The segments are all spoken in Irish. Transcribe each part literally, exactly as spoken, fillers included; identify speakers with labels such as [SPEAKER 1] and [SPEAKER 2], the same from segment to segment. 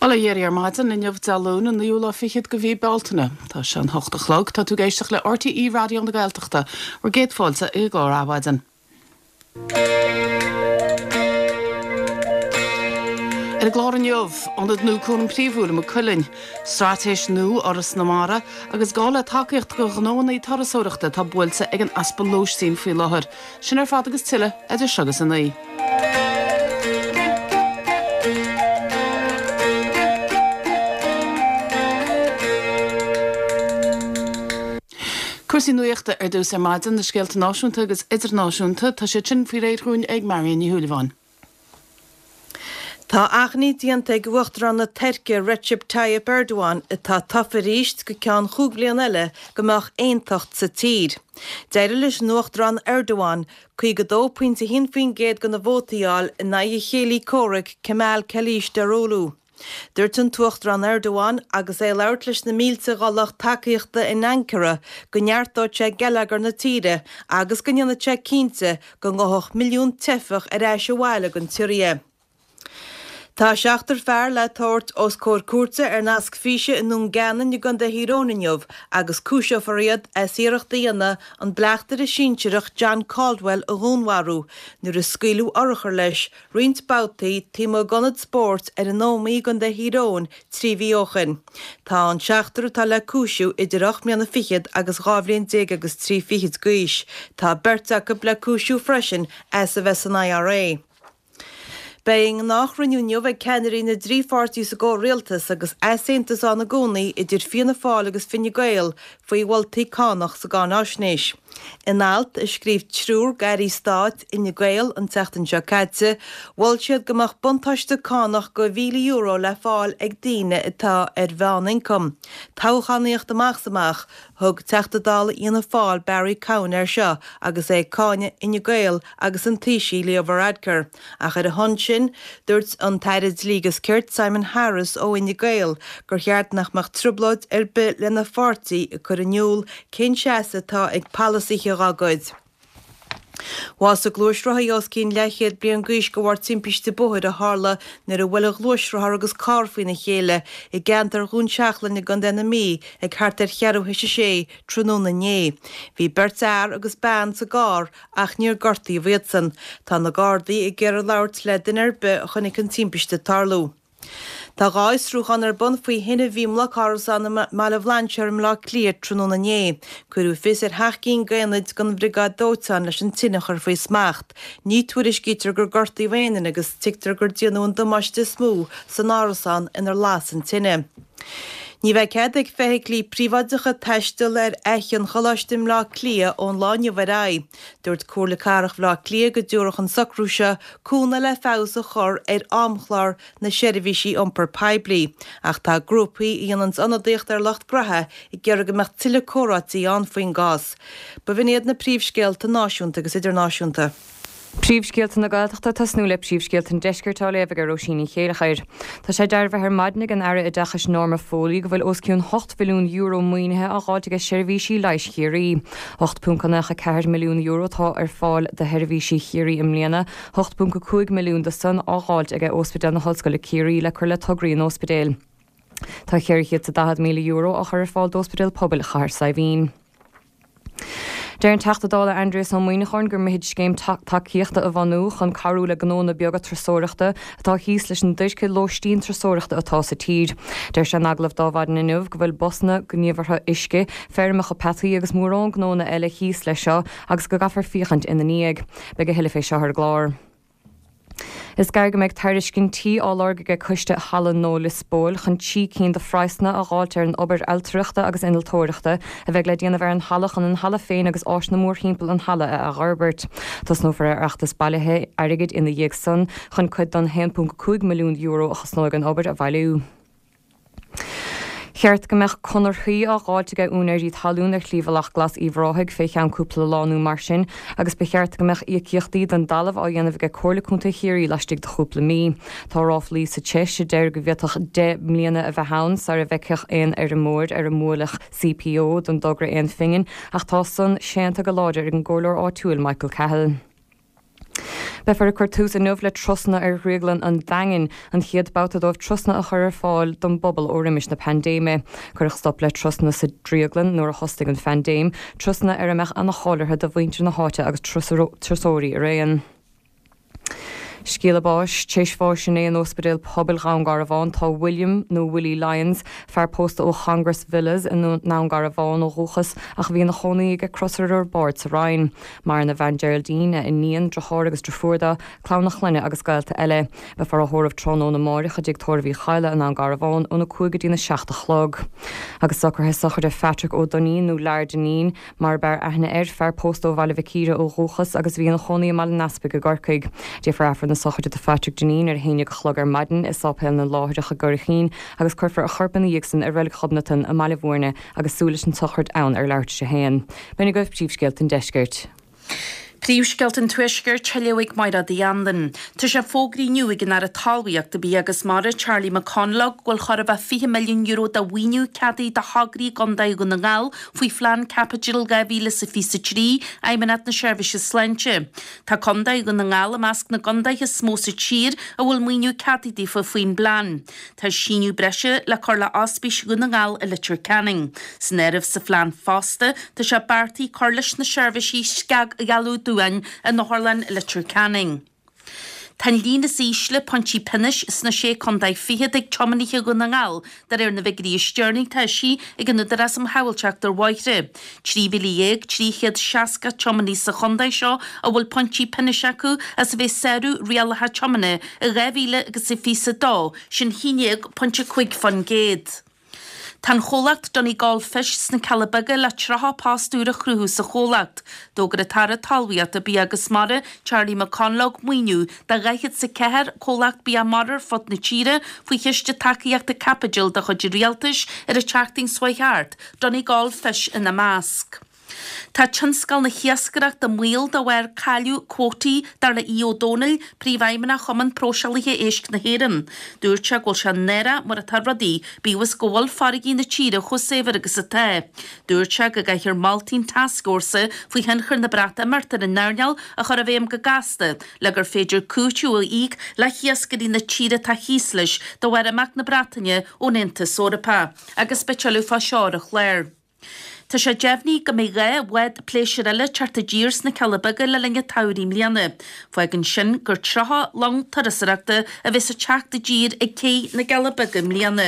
[SPEAKER 1] Bail ó Dhia oraibh ar maidin inniu Dé Luain an naoú lá fichead de mhí Bealtaine. Tá sé an hocht a chlog, tá tú ag éisteacht le RTÉ Raidió na Gaeltachta, bhur gcéad fáilte i gclár Adhmhaidin. Ar an gclár inniu, ionad nua cúram príomhúil i Maigh Cuilinn, straitéis nua Fhoras na Mara agus gá le tacaíocht do ghnóanna turasóireachta atá buailte ag an easpa lóistín faoi láthair. Sin ar fad agus tuilleadh idir seo agus a naoi. Cúrsaí nuachta ar dtús ar maidin, na scéalta náisiúnta agus idirnáisiúnta, tá siad sin faoi réir dhúinn ag Marion Ní Shúilleabháin.
[SPEAKER 2] Tá achainí déanta ag Uachtarán na Tuirce Recep Tayyip Erdogan, atá tofa arís go ceann chúig bhliain eile, go mbeadh aontacht sa tír. D'éirigh leis an Uachtarán Erdogan caoga dó pointe a haon faoin gcéad de na vótaí a fháil in aghaidh a chéilí comhraic Kemal Kılıçdaroğlu. Dúirt an tUachtarán Erdogan agus é ag labhairt leis na mílte dá lucht tacaíochta in Ankara go neartóidh sé geilleagar na tíre agus go ndéanfaidh sé cinnte go ngabhfadh milliún teifeach ar ais abhaile don tSiria. Tá seachtar fear le tabhairt os comhair cúirte ar nasc físe i nDún Geanainn i gContae Thír Eoghain inniu agus cúiseofar iad as iarracht a dhéanamh an bleachtaire sinsearach John Caldwell a dhúnmharú nuair a scaoileadh urchar leis roinnt babhtaí taobh amuigh d'ionad spóirt ar an Ómaigh i gContae Thír Eoghain trí mhí ó shin. Tá an seachtar atá le cúisiú idir ocht mbliana fichead agus dhá bhliain déag agus trí fichid d'aois. Tá beirt acu le cúisiú freisin as a bheith san IRA. Beidh a ngnáthchruinniú inniu ag ceannairí na dtrí pháirtí sa gcomhrialtas agus easaontas ann i gcónaí idir Fianna Fáil agus Fine Gael faoi mholtaí cánach sa gcáináisnéis. In alt a scríobh triúr d'airí stáit Fhine Gael an tseachtain seo caite, mhol siad go mbeadh buntáiste cánach de mhíle euro le fáil ag daoine atá ar mheánioncam. Toghchánaíocht amach is amach, Thug Teachta Dála Fhianna Fáil Barry Cowen air seo agus é ag cáineadh Fhine Gael agus an Taoisigh Leo Varadkar. Ach ar a shon sin, dúirt an tAire Dlí agus Cirt Simon Harris ó Fhine Gael gur cheart nach mbeadh trioblóid ar bith lena pháirtí ag cur in iúl cén seasamh atá ag polasaithe dá gcuid. Bhásaigh gluaisrothaí os cionn leathchéad bliain d'aois de bharr timpiste bóthair a tharla nuair a bhuail a ghluaisrothar agus carr faoina chéile i gceantar Dhún Seachlainn i gContae na Mí ag thart ar cheathrú théis a sé tráthnóna inné. Bhí beirt fhear agus bean sa gcarr ach níor gortaíodh iadsan. Tá na Gardaí ag iarraidh labhairt le duine ar bith a chonaic an timpiste ag tarlú. Tá dhá fhiosrúchán ar bun faoi thine a bhí i mblocárasán i mBaile Bhlainséir i mBleá Cliath tráthnóna inné. Cuireadh fios ar sheacht gcinn d'aonaid den bhriogáid dóiteáin leis an tine a chur faoi smacht. Ní tuairiscítear gur gortaíodh aon duine agus tuigtear gur déanadh an damáiste is mó san árasán inar las an tine. Ní bheidh cead ag feithiclí príobháideacha taisteal ar Fhaiche an Choláiste i mBleá Cliath ón lá inniu ar aghaidh. Dúirt Comhairle Cathrach Bhaile Átha Cliath go dtabharfadh an socrú seo cúnamh le feabhas a chur ar amchlár na seirbhísí iompair poiblí. Ach tá grúpaí a dhéananns ionadaíocht ar lucht graithe ag iarraidh go mbeadh tuilleadh comhráití ann faoin gcás. B'in iad na príomhscéalta náisiúnta agus idirnáisiúnta.
[SPEAKER 3] Príomhscéalta na Gaeltachta, Tosnú le Príomhscéalta an Deiscirt á léamh ag Róisín Ní Chéilleachair. Tá sé dearbhaithe ar maidin ag an Aire Oideachais Norma Foley go bhfuil os cionn hocht mhilliún euro maoinithe á dháilt aige seirbhísí leighis Chiarraí. ocht ponc naoi ceathair milliún euro atá ar fáil do sheirbhísí Chiarraí i mbliana, ocht ponc cúig milliún de san á dháilt aige Ospidéal na hOllscoile Ciarraí le cur le tograí an ospidéil. Tá ceithre chéad is daichead míle euro á chur ar fáil d'Ospidéal Pobail Chathair Saidhbhín. Deir an Teachta Dála Aindrias Ó Muimhneacháin gur mithid scéim tacaíochta a bhunú chun cabhrú le gnónna beaga turasóireachta atá thíos leis an duairce lóistín turasóireachta atá sa tír. Deir sé in agallamh d'Adhmhaidin inniu go bhfuil busanna, gníomhartha uisce, feirmeacha peataí agus mórán gnónna eile thíos leis seo agus go gcaithfear féachaint ina ndiaidh. Beidh a thuilleadh fé seo ar an gclár. Is gearr go mbeidh tairiscintí á lorg aige Coiste Halla Nua Lios Póil chun trí cinn de phraghsanna a dháilt ar an obair ailtireachta agus innealtóireachta a bheidh le déanamh ar an halla chun an halla féin agus áiseanna mórthimpeall an halla a athfhorbairt. Tosnófar ar fheachtas bailithe airgid ina dhiaidh san chun cuid den a haon ponc cúig milliún euro a chosnóidh an obair a bhailiú. Cheart go mbeadh conarthaí á dháilt aige úinéirí talún ar Shlí Bhealach Glas Uíbh Ráthaigh fé cheann cúpla lá nó mar sin agus ba cheart go mbeadh íocaíochtaí don dtalamh á dhéanamh aige Comhairle Contae Chiarraí laistigh de chúpla mí. Tá ráflaí sa treis a deir go bhféadfadh deich mbliana a bheith ann sara bhfeicfeadh aon fheirmeoir ar a mbuailfeadh CPO don dtogra aon phingin ach tá san séanta go láidir ag an gcomhairleoir áitiúil Michael Cahill. Beifear ag cur tús inniu le turasanna ar Dhrioglann an Daingin, an chéad babhta dóibh turasanna a chur ar fáil don bpobal ó roimis na paindéime. Cuireadh stop le turasanna sa drioglann nuair a thosaigh an phaindéim, turasanna ar a mbeadh an-cháil orthu do mhuintir na háite agus turasóirí araon. Scéala báis, tar éis bháis inné in Ospidéal Pobail Dhún Garbhán tá William nó Willie Lyons, fear pósta ó Congress Villas i nDún Garbhán ó dhúchas ach bhí ina chónaí ag Crosaire ar Bord sa Rinn. Maireann a bhean Geraldine, a iníon, deartháir agus deirfiúr dó, clann a chlainne agus gaolta eile. Beifear á thórramh tráthnóna amárach i dTigh Tórraimh Uí Chadhla i nDún Garbhán óna cúig go dtína seacht a chlog. Agus socruithe sochraide Phatrick Ó Duinnín nó Lar Dineen mar b'fhearr aithne air, fear pósta ó Bhaile Mhic Íre ó dhúchas agus bhí ina chónaí i mBaile an Easpaig i gCorcaigh. Déanfar Aifreann na sochraide do Phatrick Dineen ar a haon déag a chlog ar maidin i Sáipéal na Láithreach i gCurraichín agus cuirfear a chorp ina dhiaidh sin i Reilig Ghobnatan i mBaile Bhúirne agus súil leis an tsochraid ann ar leathuair tar éis a haon. B'in agaibh príomhscéalta an deiscirt.
[SPEAKER 4] Príomhscéalta an Tuaiscirt á léamh ag Máire Uí Anluain. Tá sé fógraithe inniu ag an Aire Talmhaíochta, Bia agus Mara, Charlie McConalogue, go bhfuil chóir a bheith fiche milliún euro de mhaoiniú ceadaithe do thograí i gContae Dhún na nGall faoi Phlean Caipitil dhá mhíle is a fiche a trí, Fheidhmeannacht na Seirbhíse Sláinte. Tá Contae Dhún na nGall i measc na gcontaetha is mó sa tír a bhfuil maoiniú ceadaithe daofa faoin bplean. Tá síneadh breise le cur le Ospís Dhún na nGall i Leitir Ceanainn. San áireamh sa phlean fosta, tá sé beartaithe cur leis na seirbhísí scagdhealú duáin in Otharlann Leitir Ceanainn. Tá an líon is ísle pointí pionóis sna Sé Contae Fichead ag tiománaithe Dhún na nGall, de réir na bhfigiúirí is deireanaí atá eisithe ag an Údarás um Shábháilteacht ar Bhóithre. Trí mhíle dhéag trí chéad seasca tiománaí sa chontae seo a bhfuil pointí pionóis acu as a bheith ag sárú rialacha tiomána i dhá mhíle agus a fiche a dó, sin haon déag pointe cúig faoin gcéad. Tá an chomhlacht Donegal Fish sna Cealla Beaga le tríocha post úr a chruthú sa chomhlacht. D'fhógair an tAire Talmhaíochta, Bia agus Mara, Charlie McConalogue maoiniú do dhaichead is a ceathair comhlacht bia mara ar fud na tíre faoi Chiste Tacaíochta Caipitil de chuid an Rialtais ar an tseachtain seo chuaigh thart, Donegal Fish ina measc. Tá tionscal na hiascaireachta i mbaol de bharr cailleadh cuótaí, dar le Aodh Ó Domhnaill, Príomhfheidhmeannach Chumann Próiseálaithe Éisc na hÉireann. Dúirt sé go bhfuil sé náireach mar atá rudaí, bíodh is go bhfuil farraigí na tíre chomh saibhir agus atá. Dúirt sé go gcaithfear moltaí an tascfhórsa faoi thionchar na Breatimeachta ar an earnáil a chur i bhfeidhm go gasta le gur féidir cúiteamh a íoc le hiascairí na tíre atá thíos leis de bharr imeacht na Breataine ón Aontas Eorpach. Agus beidh tuilleadh fá seo ar an chlár. Tá sé deimhnithe go mbeidh dhá bhád pléisiúir eile ag teacht i dtír sna Cealla Beaga le linn an tsamhraidh i mbliana. Fágann sin gur tríocha long turasóireachta a bheas ag teacht i dtír ag cé na gCealla Beaga i mbliana.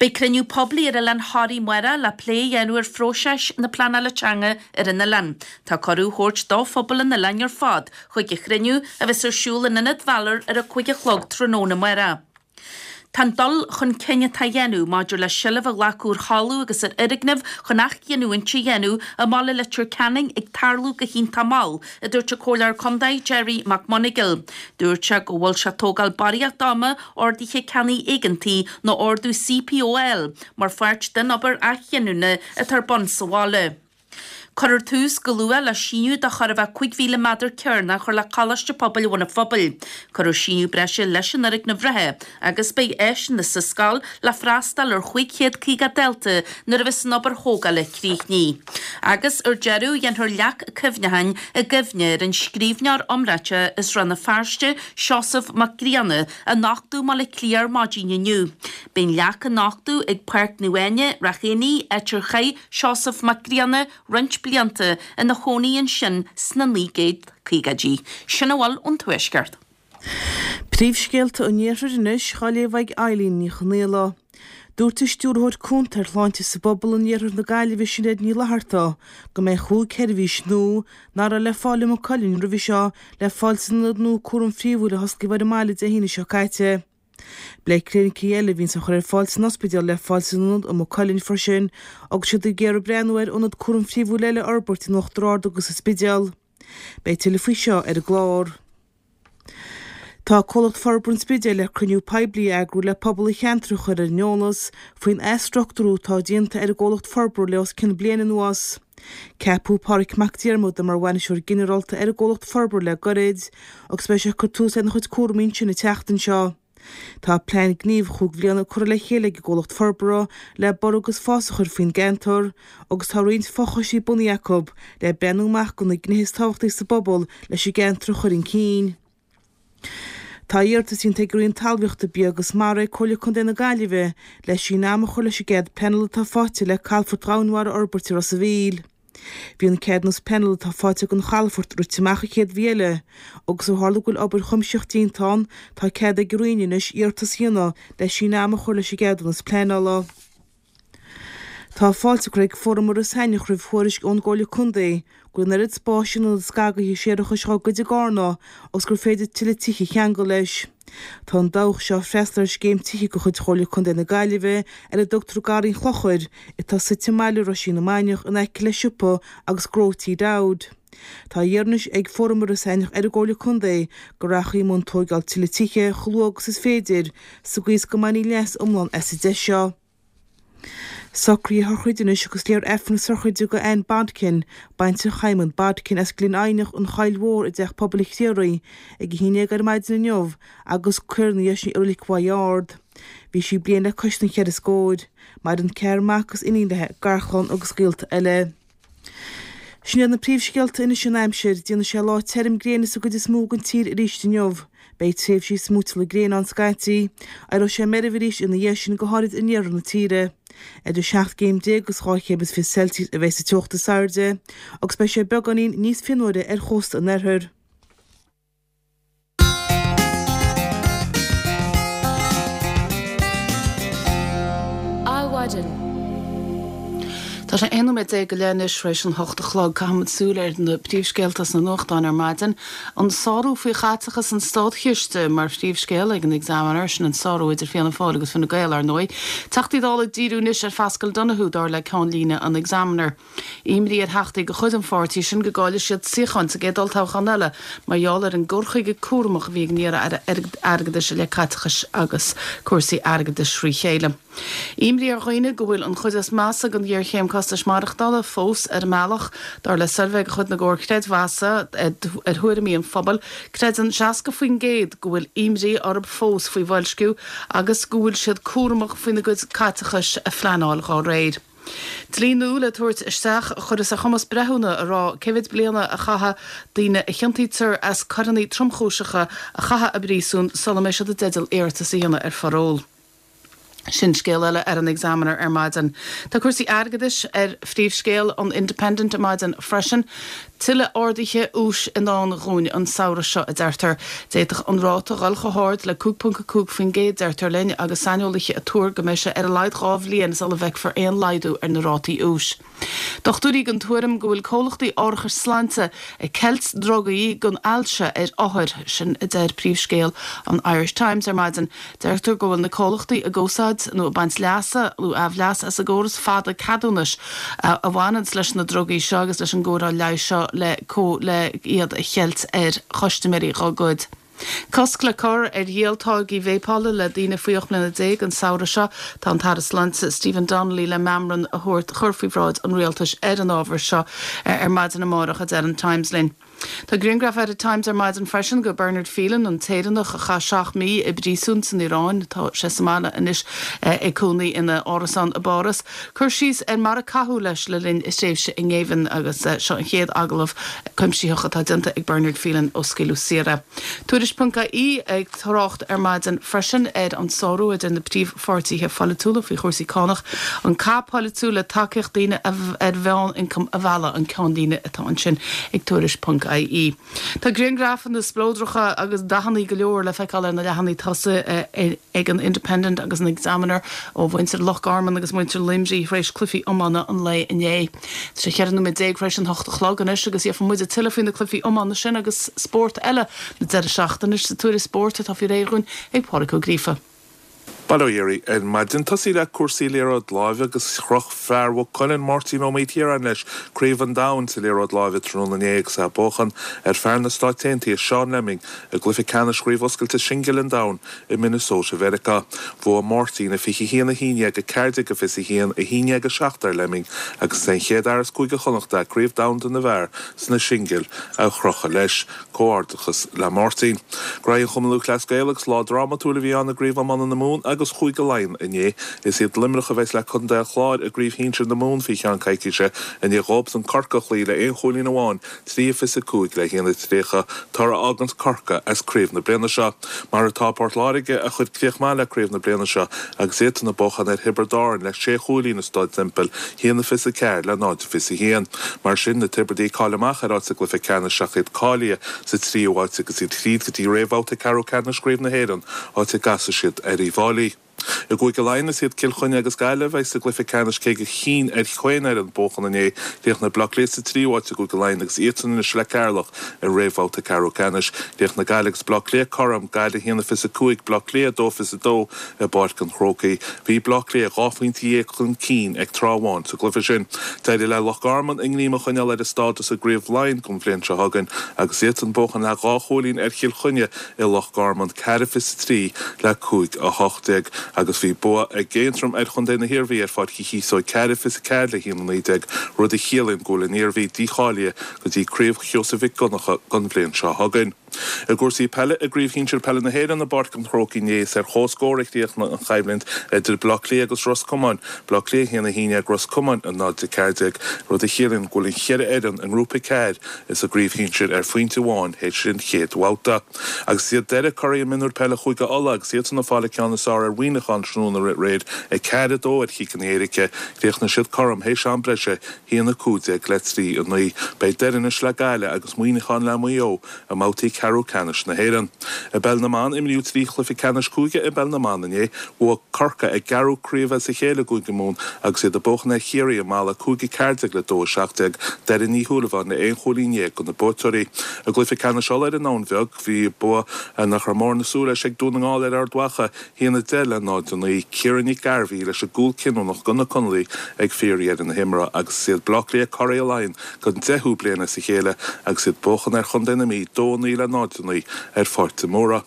[SPEAKER 4] Beidh cruinniú poiblí ar Oileán Thoraí amárach le plé a dhéanamh ar phróiseas na pleanála teanga ar an oileán. Tá cuireadh á thabhairt do phobal an oileáin ar fad chuig an chruinniú a bheas ar siúl in Ionad Bhalor ar a cúig a chlog tráthnóna amárach. Tá an dul chun cinn atá á dhéanamh maidir le seilbh a ghlacadh ar thalamh agus ar fhoirgnimh chun athghiniúint a dhéanamh i mbaile Leitir Ceanainn ag tarlú go hiontach mall, a dúirt an Comhairleoir Contae Gerry McMonagall. Dúirt sé go bhfuil sé ag tógáil barraíocht ama orduithe ceannaigh éigeantaigh nó ordú CPO mar pháirt den obair athghiniúna atá ar bun sa bhaile. Cuirfear tús go luath le síneadh de chóir a bheith cúig mhíle méadar cearnach a chur le Coláiste Pobail Bhun an Phobail. Cuirfear síneadh breise leis an fhoirgneamh reatha agus beidh áiseanna sa scoil le freastal ar chúig chéad caoga dalta nuair a bheas an obair thógála críochnaithe. Agus ar deireadh, déanfar leac cuimhneacháin i gcuimhne ar an scríbhneoir iomráiteach as Rann na Feirste, Seosamh Mac Grianna, a nochtadh i mBaile Átha Cliath ar maidin inniu. Beidh an leac á nochtadh ag Páirc Naomh Áine, Ráth Éanaigh, áit ar chaith Seosamh Mac Grianna roinnt blianta ina chónaí ansin sna naoi gcéad caogaidí. Sin a bhfuil ón Tuaisceart.
[SPEAKER 1] Príomhscéalta an Iarthair anois, á léamh ag Eileen Ní Chonghaile. Dúirt an Stiúrthóir Cúnta ar Shláinte sa bPobal in Iarthar na Gaillimhe, Sinéad Ní Fhlatharta, go mbeidh chúig sheirbhís nua, nach raibh le fáil i Maigh Cuilinn roimhe seo, le fáil san ionad nua cúraim phríomhúil a hosclaíodh ar an mbaile Dé hAoine seo caite. Beidh clinicí eile a bhíonns á chur ar fáil san ospidéal le fáil san ionad i Maigh Cuilinn freisin agus iad ag iarraidh breathnú ar ionad cúraim phríomhúil eile a fhorbairt in Uachtar Ard agus sa Spidéal. Beidh tuilleadh faoi seo ar an gclár. Tá Comhlacht Forbartha an Spidéil le cruinniú poiblí a eagrú le pobal an cheantair a chur ar an eolas faoin athstruchtúrú atá déanta ar an gcomhlacht forbartha le os cionn bliain anuas. Ceapadh Pádraig Mac Diarmada mar Bhainisteoir Ginearálta ar an gcomhlacht forbartha le gairid agus beidh sé ag cur tús lena chuid cúraimí ansin an tseachtain seo.
[SPEAKER 5] Tá plean gnímh chúig bhliana curtha le chéile ag an gcomhlacht forbartha le borradh agus fás a chur faoin gceantar agus tá roinnt fochoistí bunaithe acu le breathnú amach do na gnéithe is tábhachtaí sa bpobal leis an gceantar a chur chun cinn. Tá iarratas déanta ag an Roinn Talmhaíochta, Bia agus Mara ar Chomhairle Contae na Gaillimhe le síneadh ama a chur leis an gcead pleanála atá faighte le Calafort Dhomhainmhara a fhorbairt i Ros a' Mhíl. Bhí an ceadúnas pleanála atá faighte don chalafort rite amach an chéad mhí eile agus ó tharla go bhfuil obair chuimsitheach déanta ann, tá cead ag an Roinn anois iarratas a dhéanamh le síneadh ama a chur leis an gceadúnas pleanála. Tá fáilte curtha ag Fóram Iorras Aithneach roimh thuairisc ón gComhairle Contae go bhfuil an oiread spáis in ionad scagaithe séarachais dhá gcuid i gCarna agus gur féidir tuilleadh tithe a cheangal leis. Tá an dabhach seo ag freastal ar scéim tithe de chuid Chomhairle Contae na Gaillimhe ar a dtugtar Garraí an Chlochair atá suite i mbaile Roisín na Mainiach in aice le siopa agus gnó T Dowd. Tá á iarraidh anois ag Fóram Iorras Aithneach ar an gComhairle Contae go rachfaí i mbun tóigeáil tuilleadh tithe chomh luath agus is féidir sa gcaoi is go mbainfí leas iomlán as an deis seo. Socruithe sochraide anois agus léifear Aifreann na sochraide do Anne Bodkin, baintreach Shimon Bodkin as Gleann Eidhneach, An Choill Mhór i dTeach Pobail an Chriathraigh ag a haon déag ar maidin inniu agus cuirfear ina dhiaidh sin í i Reilig Mhaigh Ard. Bhí sí bliain le cois na cheithre scóir. Maireann ceathrar mac agus iníon léi, garchlann agus gaolta eile. Sin iad na príomhscéalta anois an aimsir. Déanfaidh sé lá tirim gréine sa gcuid is mó den tír arís inniu. Beidh tréimhsí smúiteála gréine ann scaití. Éireoidh sé meirbh arís ina dhiaidh sin, go háirid in iarthar na tíre. Idir seacht gcéim déag agus dhá chéim is fiche Celsius a bheidh sa teocht is airde agus beidh sé beagáinín níos fionnuaire ar chósta an oirthir.
[SPEAKER 1] Adhmhaidin. Tá sé aon nóiméad déag go leith anois tar éis an hocht a chlog. Caithfimid súil ar na príomhscéalta sna nuachtáin ar maidin. An sárú faoi chaiteachas an státchiste mar phríomhscéal ag an Examiner, sin an sárú idir Fianna Fáil agus Fine Gael, ar ndóigh. Teachtaí Dála ag díriú anois ar Phaschal Donohoe, dar le ceannlíne an Examiner. Imní ar theachtaí de chuid an pháirtí sin go gcaillfidh siad suíocháin sa gcéad olltoghchán eile mar gheall ar an gcur chuige cúramach a bhí ag an iar-aire airgeadais i leith caiteachais agus cúrsaí airgeadais thrí chéile. Imní ar dhaoine go bhfuil an chuid is measa den ghéarchéim costais maireachtála fós ar an mbealach. Dar le suirbhé de chuid na gcomhar creidmheasa ar thuairimí an phobail, creideann seasca faoin gcéad go bhfuil imní orthu fós faoi bhoilsciú agus go bhfuil siad cúramach faoina gcuid caiteachais a phleanáil dá réir. Dlí nua le tabhairt isteach a chuirfeas ar chumas breithiúna a rá cé mhéad bliana a chaithfidh daoine a chiontaítear as coireanna tromchúiseacha a chaitheamh i bpríosún sula mbeidh siad i dteideal iarratas a dhéanamh ar pharól. Sin scéal eile ar an Examiner ar maidin. Tá cúrsaí airgeadais ar phríomhscéal an Independent ar maidin freisin. Tuilleadh arduithe úis i ndán dhúinn an samhradh seo, a deirtear. D'fhéadfadh an ráta dhul chomh hard le cúig ponc a cúig faoin gcéad, deirtear linn, agus saineolaithe ag tuar go mbeidh sé ar a laghad dhá bhliain sula bhfeicfear aon laghdú ar na rátaí úis. Dochtúirí den tuairim go bhfuil comhlachtaí árachais sláinte ag ceilt drugaí don ailse ar othair, sin a deir príomhscéal an Irish Times ar maidin. Deirtear go bhfuil na comhlachtaí ag úsáid nó ag baint leasa nó aimhleas as an gcóras fada ceadúnais a bhaineanns leis na drugaí seo agus leis an gcóireáil leighis seo le le iad a cheilt ar chustaiméirí dhá gcuid. Cosc le cur ar dhíol táirgí véipeála le daoine faoi ocht mbliana déag an samhradh seo. Tá an tAire Sláinte Stephen Donnelly le meamram a thabhairt chur faoi bhráid an Rialtais ar an ábhar seo ar maidin amárach, a deir an Times linn. Tá grianghraf ar an Times ar maidin freisin de Bernard Phelan, an tÉireannach a chaith seacht mí i bpríosún san Iaráin. Tá sé sa mbaile anois ag cónaí ina árasán i bPáras. Cur síos ar mar a caitheadh leis le linn a thréimhse i ngéibheann agus seo an chéad agallamh cuimsitheach atá déanta ag Bernard Phelan ó scaoileadh saor é. Tuairisc ponc ie ag trácht ar maidin freisin ar an sárú idir na príomhpháirtithe pholaitiúla faoi chúrsaí cánach, an cath polaitiúil le tacaíocht daoine ar mheánioncam a mhealladh an ceannlíne atá ansin ag Tuairisc ponc ie. Tá grianghrafanna spleodracha agus dathanna go leor le feiceáil ar na leathanaigh tosaigh ag an Independent agus an Examiner ó mhuintir Loch Garman agus muintir Luimnigh tar éis cluichí iomána an lae inné. Tá sé cheithre nóiméad déag tar éis an hocht a chlog anois agus gheobhaidh muid tuilleadh faoi na cluichí iomána sin agus spórt eile na deireadh seachtaine sa tuairisc spóirt atá faoi réir dhúinn ag Pádraig Ó Gríofa.
[SPEAKER 6] Bail ó Dhia oraibh ar maidin. Tosaí le cúrsaí liathróid láimhe agus chroch fear Mhaigh Cuilinn, Máirtín Ó Maoilchiaráin leis Craobh an Domhain sa liathróid láimhe tráthnóna inné agus é ag buachan ar fear na Stáit Aontaithe Sean Lemming i gcluiche ceannais Chraobh Oscailte Singil an Domhain i Minnesota Mheiriceá. Bhuaigh Máirtín a fiche haon a haon déag, a ceathair déag a fiche haon, a haon déag a seacht ar Lemming agus is é an chéad fhear as Cúige Chonnacht Craobh Domhanda na bhfear sna singil a chrochadh leis. Comhghairdeachas le Máirtín. Graí an Chumann Lúthchleas Gael agus lá drámatúil a bhí ann i gCraobh Iomána na Mumhan agus Chúige Laighean inné. Is iad Luimneach a bheas le Contae an Chláir i gCraobh Shinsir na Mumhan faoi cheann coicíse i ndiaidh dóibhsan Corcaigh a chloí le aon chúilín amháin, trí a fiche cúig le haon a tríocha, toradh a fháganns Corcaigh as craobh na bliana seo. Mar atá Port Láirge a chuir críoch maith le craobh na bliana seo agus iadsan ag buachan ar Thiobraid Árann le sé chúilín i Staid Semple, haon a fiche ceathair le náid a fiche haon. Mar sin, na Tiobradaigh cáilithe amach ar áit sa gcluiche ceannais ach iad cáilithe sa tríú háit agus iad tríd go dtí réamhbhabhta ceathrú ceannais Chraobh na hÉireann, áit a gcasfaidh siad ar Uíbh Fhailí. I gCúige Laighean is iad Cill Chainnigh agus Gaillimh a bheidh sa gcluiche ceannais cé gur chinn ar chaon fhoireann buachan inné. Chríochnaigh Bleá Cliath sa tríú háit i gCúige Laighean agus iadsan anois le Ceatharlach i réamhbhabhta ceathrú ceannais. Chríochnaigh Gaillimh agus Bleá Cliath cothrom, Gaillimh a haon a fiche cúig, Bleá Cliath a dó fiche dó i bPáirc an Chrócaigh. Bhí Bleá Cliath dhá phointe dhéag chun cinn ag tráth amháin sa gcluiche sin. D'éirigh le Loch Garman a ngreim a choinneáil ar a stádas i gCraobh Laighean don bhliain seo chugainn agus iadsan ag buachan le dhá chúilín ar Chill Chainnigh i Loch Garman, ceathair fiche trí le cúig a hocht déag, agus bhí bua ag Aontroim ar chontae na hIarmhí ar Pháirc Uí Chíosóg, ceathair fiche ceathair le haon a naoi déag, rud a chiallaíonn go bhfuil an Iarmhí dícháilithe go dtí Craobh Sheosaimh Mhic Dhonncha don bhliain seo chugainn. I gcúrsaí peile, i gCraobh Shinsir Peile na hÉireann i bPáirc an Chrócaigh inné, is ar comhscór a chríochnaigh an choimhlint idir Baile Átha Cliath agus Ros Comáin, Baile Átha Cliath a haon a haon déag, Ros Comáin a náid a ceathair déag, rud a chiallaíonn go bhfuil an cheithre fhoireann i nGrúpa ceathair sa gcraobh shinsir ar phointe amháin théis an chéad bhabhta. Agus is iad Doire curaidh mionúir peile Chúige Uladh agus iadsan ag fáil an ceann is fearr ar Mhuineachán tráthnóna aréir, a ceathair a dó ar chiceanna éirice. Chríochnaigh siad cothrom théis am breise, haon a cúig déag le trí a naoi. Beidh Doire anois le Gaillimh agus Muineachán le Maigh Eo i mbabhtaí ceathrú ceannais na hÉireann. I bpeil na mban, imríodh trí chluiche ceannais cúige i bpeil na mban inné. Bhuaigh Corcaigh a gceathrú craobh as a chéile i gCúige Mumhan agus iad ag buachan ar Chiarraí i Mala, cúig a ceathair déag le dó a seacht déag. Doireann Ní Shúilleabháin le aon chúilín dhéag do na buaiteoirí. I gcluiche ceannais Uladh ar an nDamhain Bheag, bhí bua nach raibh mórán ag súil leis ag Dún na nGall ar Ard Mhacha, haon a deich le náid a naoi. Ciara Nic Gairbhí leis an gcúl cinniúnach do na Conallaigh ag fíordheireadh na himeartha agus is iad Baile Átha Cliath curaidh Laighean don deichiú bliain as a chéile agus iad ag buachan ar chontae na Mí, dó a naoi le náid a naoi ar Pháirc de Mórdha.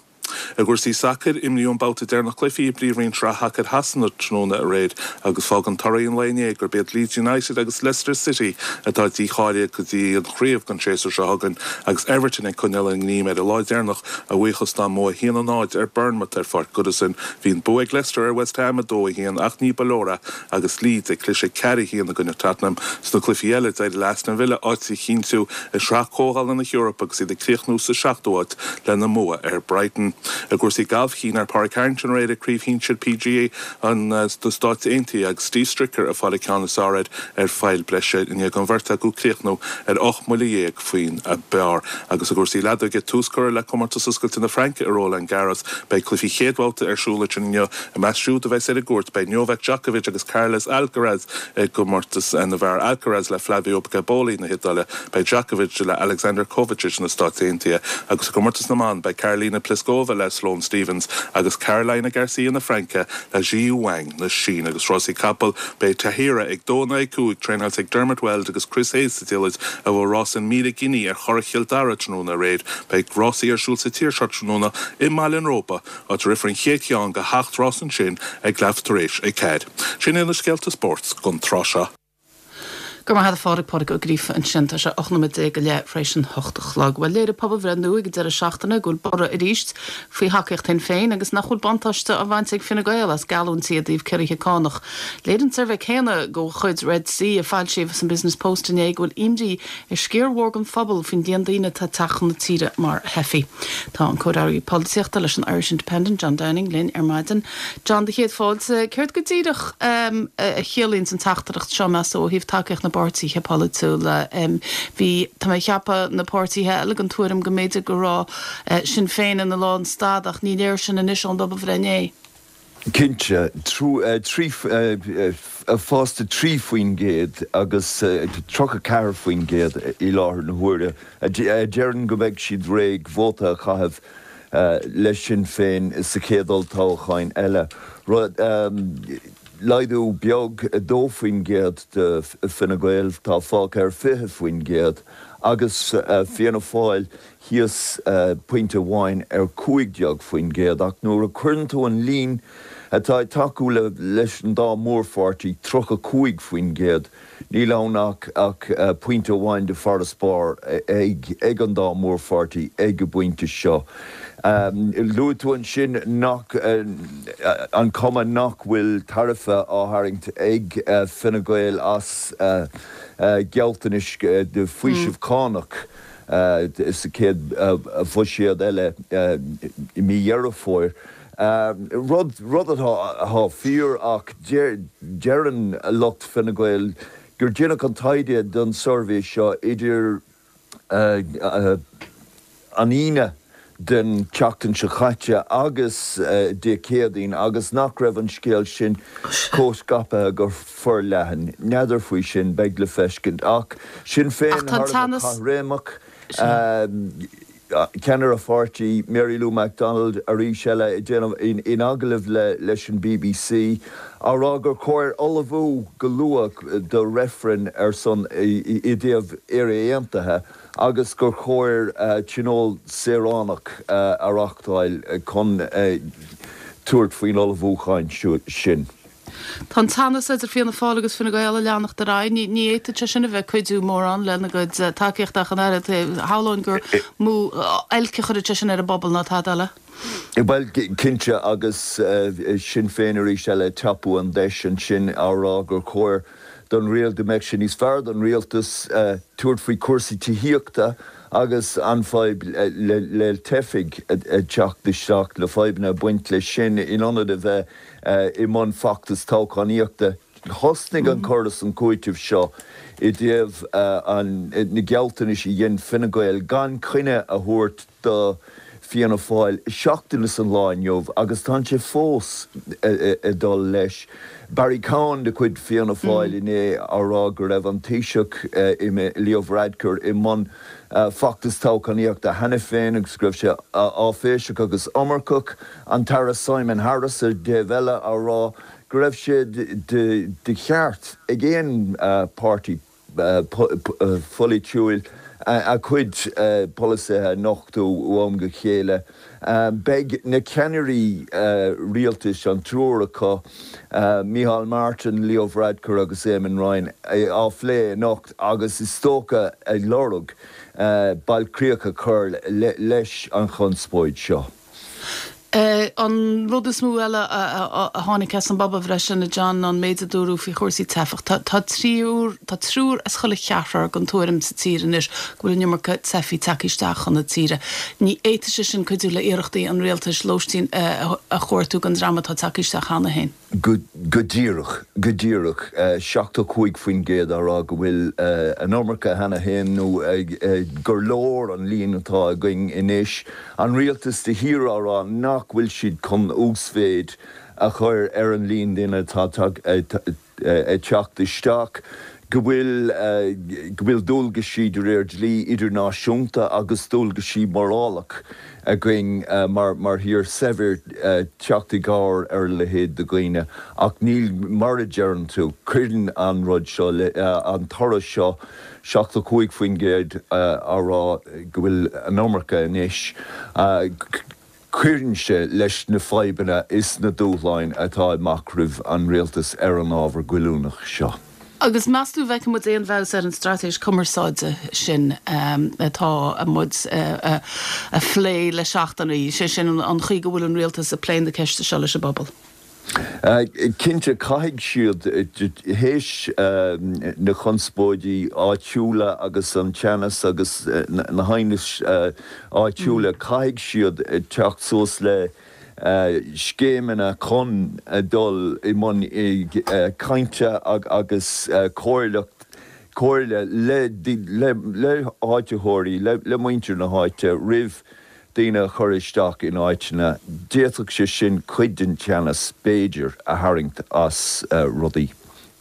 [SPEAKER 6] I gcúrsaí sacair, imríodh an babhta deireanach cluichí i bPríomhroinn Shraith Shacair Shasana tráthnóna aréir agus fágann torthaí an lae inné gurb iad Leeds United agus Leicester City atá dícháilithe go dtí an chraobh don séasúr seo chugainn agus Everton ag coinneáil a ngreim ar an lá deireanach a bhuíochas dá mbua a haon a náid ar Bournemouth ar Pháirc Goodison. Bhí an bua ag Leicester ar West Ham a dó a haon ach ní ba leor é agus Leeds ag cliseadh ceathair a haon i gcoinne Tottenham. Sna cluichí eile, d'éirigh le Aston Villa áit a chinntiú i Sraith Comhdhála na hEorpa agus iad ag críochnú sa seachtú háit lena mbua ar Brighton. I gcúrsaí gailf, chinn ar Pádraig Harrington aréir i gCraobh Shinsir PGA na Stáit Aontaithe agus Steve Stricker ag fáil an ceann is fearr air ar phoill breise i ndiaidh don bheirt acu críochnú ar ocht mbuille dhéag faoin bpar. Agus i gcúrsaí leadóige, tús curtha le Comórtas Oscailte na Fraince i Roland Garros. Beidh cluichí chéad bhabhta ar siúl ansin inniu. I measc siúd a bheas ar an gcúirt beidh Novak Djokovic agus Carlos Alcaraz i gcomórtas na bhfear, Alcaraz le Flavio Cobolli na hIodáile, beidh Djokovic le Alexander Kovacic na Stáit Aontaithe agus i gcomórtas na mban beidh Karolina Pliskova le Sloane Stephens agus Caroline Garcia na Fraince le Zhiyu Wang na Síne. Agus rásaí capall, beidh Tahiyra ag dó in aghaidh cúig, traenáilte ag Dermot Weld agus Chris Hayes sa diallait a bhuaigh rás an míle giní ar Churrach Chill Dara tráthnóna aréir. Beidh rásaí ar siúl sa tír seo tráthnóna i mBaile an Róba, áit a rithfear an chéad cheann de sheacht rás ansin ag leath tar éis a ceathair. Sin iad na scéalta spóirt don tráth seo.
[SPEAKER 1] Go raibh maith agat a Phádraig, Pádraig Ó Gríofa ansin. Tá sé ocht nóiméad déag go leith tar éis an hocht a chlog. Bhuel, léirigh pobalbhreith nua ag an deireadh seachtaine go bhfuil borradh arís faoi thacaíocht Shinn Féin agus nach bhfuil buntáiste á bhaint ag Fine Gael as geallúintí i dtaobh ciorruithe cánach. Léirigh an suirbhé céanna de chuid Red C a foilsíodh san Business Post inné go bhfuil imní ar sciar mhór den phobal faoin líon daoine atá ag teacht chun na tíre mar theifigh. Tá an cóireálaí polaitíochta leis an Irish Independent, John Downing, linn ar maidin. John, do chéad fáilte. Céard go díreach a chiallaíonn an teachtaireacht seo, meas tú, ó thaobh tacaíocht na bpáirtithe polaitiúla? Bhí, tá mé ag ceapadh, na páirtithe eile den tuairim go mb'fhéidir go raibh Sinn Féin ina lánstad ach ní léir sin anois ón bpobalbhreith inné.
[SPEAKER 7] Cinnte, trí, fás de trí faoin gcéad agus tríocha ceathair faoin gcéad i láthair na huaire a deireann go mbeidh siad réidh vóta a chaitheamh le Sinn Féin sa chéad olltoghchán eile. Rud laghdú beag a dó faoin gcéad do Fine Gael, tá fágtha ar fiche faoin gcéad, agus Fianna Fáil thíos pointe amháin ar cúig déag faoin gcéad. Ach nuair a chuireann tú an líon atá ag tacú leis an dá mhórpháirtí, tríocha cúig faoin gcéad, níl ann ach ach pointe amháin de farasbarr ag ag an dá mhórpháirtí ag an bpointe seo. Luaigh tú ansin nach an cuma nach bhfuil tairbhe á tharraingt ag Fine Gael as gealltanais de faoiseamh cánach sa chéad bhuiséad eile i mí Dheireadh Fómhair. Rud rud atá fíor ach deireann lucht Fine Gael gur déanadh an taighde don suirbhé seo idir an Aoine den tseachtain seo caite agus Dé Céadaoin agus nach raibh an scéal sin chomh scaipthe go forleathan. N'fheadar faoi sin, beidh le feiscint. Ach Sinn Féin
[SPEAKER 1] Ach tá
[SPEAKER 7] thar a bheith
[SPEAKER 1] teannas.
[SPEAKER 7] caithréimeach. Ceannaire an pháirtí, Mary Lou McDonald, arís eile ag déanamh in agallamh leis an bbc, á rá gur chóir ullmhú go luath do reifreann ar son i dtaobh Éire Aontaithe agus gur chóir tionól saoránach a reáchtáil chun tabhairt faoin ullmhúchán sin.
[SPEAKER 1] Tá an teannas idir Fianna Fáil agus Fine Gael ag leanacht ar aghaidh. Ní fhéadfadh sé sin a bheith ag cuidiú mórán lena gcuid tacaíochta ach an oiread. Shamhlóinn gur mó oilc a chuirfeadh sé sin ar an bpobal ná tada eile.
[SPEAKER 7] Bhuel, cinnte, agus Sinn Féin arís eile ag tapú an deis ansin á rá gur chóir don rialtas, go mbeadh sé níos fearr don rialtas tabhairt faoi chúrsaí tithíochta agus an fadhb le teifigh ag teacht isteach, le fadhbanna ag baint leis sin, in ionad a bheith i mbun feachtas toghchánaíochta. Thosnaigh an cur is an cúiteamh seo i dtaobh na gealltanais a dhein Fine Gael gan coinne a thabhairt do Fianna Fáil seachtain is an lá inniu agus tá sé fós ag dul leis. Barry Cowen de chuid Fianna Fáil inné á rá go raibh an Taoiseach Leo Varadkar i mbun feachtas toghchánaíochta cheana féin agus go raibh sé áiféiseach agus iomarcach. An tAire Simon Harris ar an dtaobh eile á rá go raibh sé de cheart ag aon páirtí pholaitiúil a cuid polasaithe a nochtadh ó am go chéile. Beidh na ceannairí rialtais, an triúr acu, Micheál Martin, Leo Varadkar agus Eamon Ryan, á phlé anocht agus is dócha ag lorg bailchríoch a chur leis an chonspóid seo.
[SPEAKER 1] An rud is mó eile a tháinig as an bpobalbhreith sin, a John, ná an méid a dúradh faoi chúrsaí teifeach. Tá triúr, tá triúr as chuile cheathrar den tuairim sa tír anois go bhfuil an iomarca teifigh tagtha isteach chun na tíre. Ní fhéadfadh sé sin cuidiú le iarrachtaí an rialtais lóistín a chuartú don dream atá tagtha isteach cheana féin.
[SPEAKER 7] Go díreach, go díreach. seachtó cúig faoin gcéad á rá go bhfuil an iomarca cheana féin nó gur leor an líon atá againn anois. An rialtas de shíor á rá nach bhfuil siad chun uasmhéid a chur ar an líon duine atá ag teacht isteach, go bhfuil go bhfuil dualgaisí de réir dlí idirnáisiúnta agus dualgaisí morálach againn mar mar thír saibhir teacht i gcabhair ar a leithéid de dhaoine. Ach níl, mar a deireann tú, cuireann an rud seo le, an toradh seo, seachtó cúig faoin gcéad á rá go bhfuil an iomarca anois, Cuireann sé leis na fadhbanna is na dúshláin atá amach roimh an rialtas ar an ábhar goilliúnach seo.
[SPEAKER 1] Agus meas tú an bhfeicfidh muid aon bhfeabhas ar an straitéis cumarsáide sin atá muid a phlé le seachtainí, sé sin an chaoi go bhfuil an rialtas ag plé na ceiste seo leis an bpobal?
[SPEAKER 7] Cinnte, caithfidh siad, théis na conspóidí áitiúla agus an teannas agus na haighnis áitiúla, caithfidh siad teacht suas le scéimeanna chun dul i mbun cainte agus comhairleacht, comhairle le háititheoirí, le muintir na háite roimh daoine a chur isteach in áiteanna, d'fhéadfadh sé sin cuid den teannas, b'fhéidir, a tharraingt as rudaí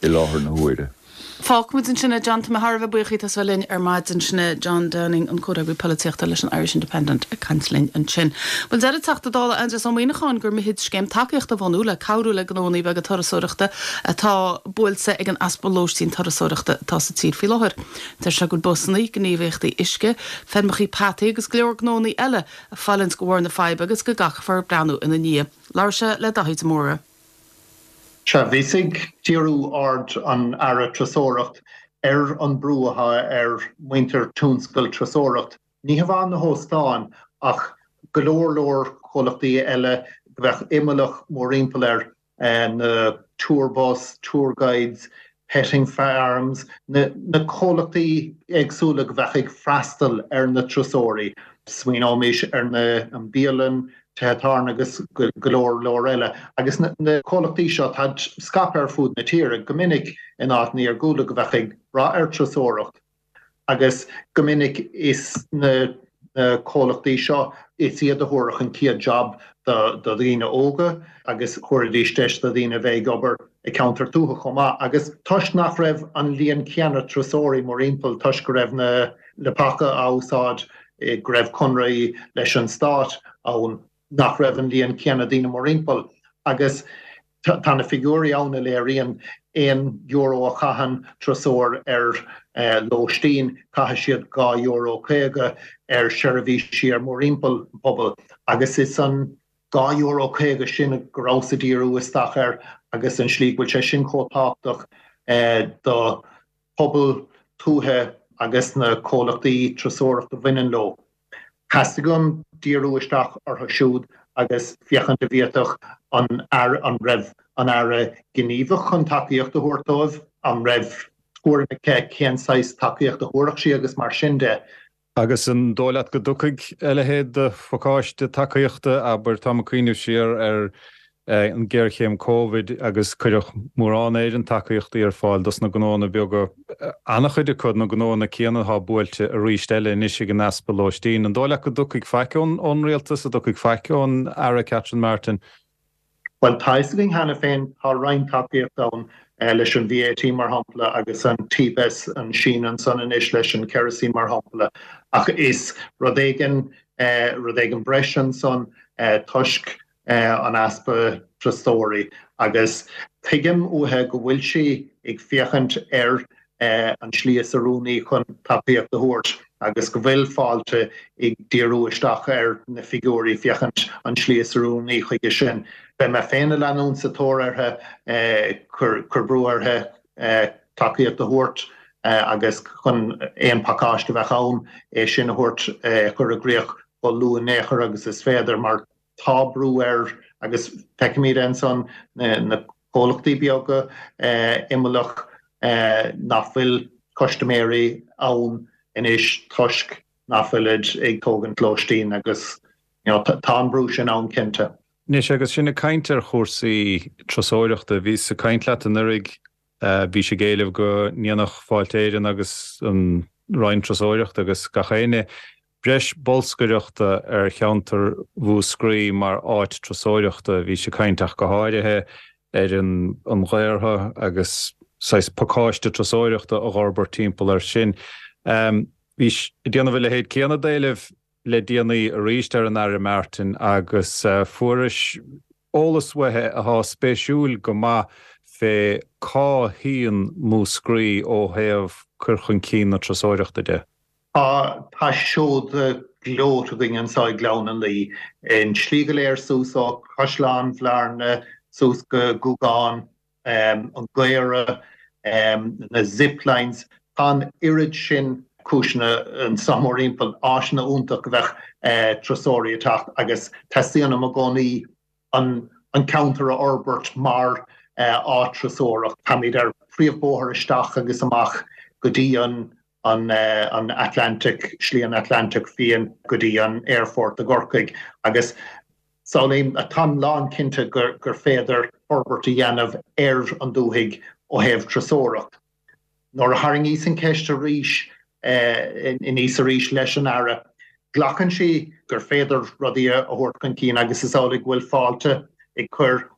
[SPEAKER 7] i láthair na huaire.
[SPEAKER 1] Fágfaimid ansin é John tá mé thar a bheith buíoch díot as bheith linn ar maidin sin é John Downing an comhfhreagraí polaitíochta leis an Irish Independent ag caint linn ansin. Bhuel deir an Teachta Dála Aindrias Ó Muimhneacháin gur mithid scéim tacaíochta a bhunú le cabhrú le gnónna beaga turasóireachta atá buailte ag an easpa lóistín turasóireachta atá sa tír faoi láthair. Deir sé go bhfuil busanna, gníomhaíochtaí uisce, feirmeacha peataí agus go leor gnónna eile ag fulaingt de bharr na faidhbe agus go gcaithfear breathnú ina ndiaidh. Labhair sé le Daithí de Mórdha.
[SPEAKER 8] Sea, bhíos ag díriú aird an Aire Turasóireacht ar an brú atá ar muintir tionscal turasóireacht. Ní hamháin na hóstáin ach go leor leor comhlachtaí eile go bheadh imeallach mórthimpeall air, na tour bus, tour guides, petting farms, na comhlachtaí éagsúla go bheadh ag freastal ar na turasóirí. Smaoineoimis ar na an bialann, tithe tábhairne agus go leor leor eile. Agus na comhlachtaí seo, táid scaipthe ar fud na tíre, go minic in áiteanna iargúlta go bheadh ag brath ar turasóireacht. Agus go minic is na comhlachtaí seo, is iad a thabharfadh an chéad job do dhaoine óga agus thabharfaidís deis do dhaoine a bheith ag obair i gceantar tuaithe chomh maith. Agus toisc nach raibh an líon céanna turasóirí mórthimpeall, toisc go raibh na leapacha á úsáid, go raibh conraí leis an stát ann, nach raibh an líon céanna daoine mórthimpeall. Agus tá na figiúirí ann a léiríonn aon euro a chaitheann turasóir ar lóistín, caithfidh siad dhá euro caoga ar sheirbhísí ar mórthimpeall an pobail. Agus is an dhá euro caoga sin go rabhas ag díriú isteach air agus an slí go bhfuil sé sin chomh tábhachtach do pobal tuaithe agus na comhlachtaí turasóireachta a bhaineann leo. Theastaigh uaim díriú isteach orthu siúd agus féachaint an bhféadfadh an Aire, an raibh an Aire gníomhach chun tacaíocht a thabhairt dóibh, an raibh tuairim aici cén saghas tacaíocht a thabharfadh sí agus mar sin de.
[SPEAKER 9] Agus an dóigh leat go dtiocfaidh a leithéid de phacáiste tacaíochta, abair, táim ag cuimhneamh siar ar an ghéarchéim Covid agus cuireadh mórán Éireann tacaíochtaí ar fáil dos na gnóanna beaga, an-chuid acu na gnóanna céanna atá buailte arís eile anois ag an easpa lóistín. An dóigh leat go dtiocfaidh faic ón rialtas, an dtiocfaidh faic ón Aire Catherine Martin?
[SPEAKER 8] Bhuel, tá fhios againn cheana féin, tá roinnt tacaíocht ann leis an VAT mar shampla agus an TPS, an síneadh ansan anois leis an kerosene mar shampla, ach is rud éigin, rud éigin breise ansan toisc an easpa turasóirí agus tuigim uaithi go bhfuil sí ag féachaint ar an slí is oiriúnaí chun tacaíocht a thabhairt agus go bhfuil Fáilte ag díriú isteach ar na figiúirí féachaint an slí is oiriúnaí chuige sin. Beidh mé féin ag leanúint sa tóir uirthi, cur brú uirthi tacaíocht a thabhairt agus chun aon phacáiste a bheadh ann é sin a thabhairt, a chur i gcrích chomh luath in aon chor agus is féidir mar tá brú air agus feicimid ansan na comhlachtaí beaga imeallach nach bhfuil custaiméirí ann anois toisc nach bhfuilid ag tógaint lóistín agus tá an brú sin ann cinnte.
[SPEAKER 9] Anois agus sinn ag caint ar chúrsaí turasóireachta, bhíos ag caint leat anuraidh, bhís ag éileamh go ndéanfadh Fáilte Éireann agus an Roinn Turasóireachta agus gach éinne breis bolscaireachta ar cheantar Mhúscraí mar áit turasóireachta. Bhís ag caint ach go háirithe ar an Ghaortha agus saghas pacáiste turasóireachta a dh'fhorbairt timpeall air sin. Bhís ag déanamh a leithéid céanna d'éileamh le déanaí arís ar an Aire Martin agus fuairis eolas uaithi athá spéisiúil go maith fé cá shuíonn Múscraí ó thaobh cur chun cinn na turasóireachta de.
[SPEAKER 8] Tá tá seoda gleoite againn anseo i nGleann an Laoi, an tslí go léir suas ó Chaisleán Bhearna suas go Gúgán, an Gaora, na zip lines. Tá an oiread sin cúiseanna anseo mórthimpeall, áiseanna iontach go bheadh turasóirí ag teacht agus teastaíonn uaim i gcónaí an ceantar a fhorbairt mar áit turasóireacht. Táimid ar phríomhbhóthar isteach agus amach go dtí an an Atlantic, Slí an Atlantaigh Fiáin go dtí an aerfort i gCorcaigh agus samhlaím, táim lánchinnte gur féidir forbairt a dhéanamh ar an dúthaigh ó thaobh turasóireacht. Nuair a tharraingíos an cheist arís aníos arís leis an Aire, glacann sí gur féidir rudaí a thabhairt chun cinn agus is amhlaidh go bhfuil Fáilte ag cur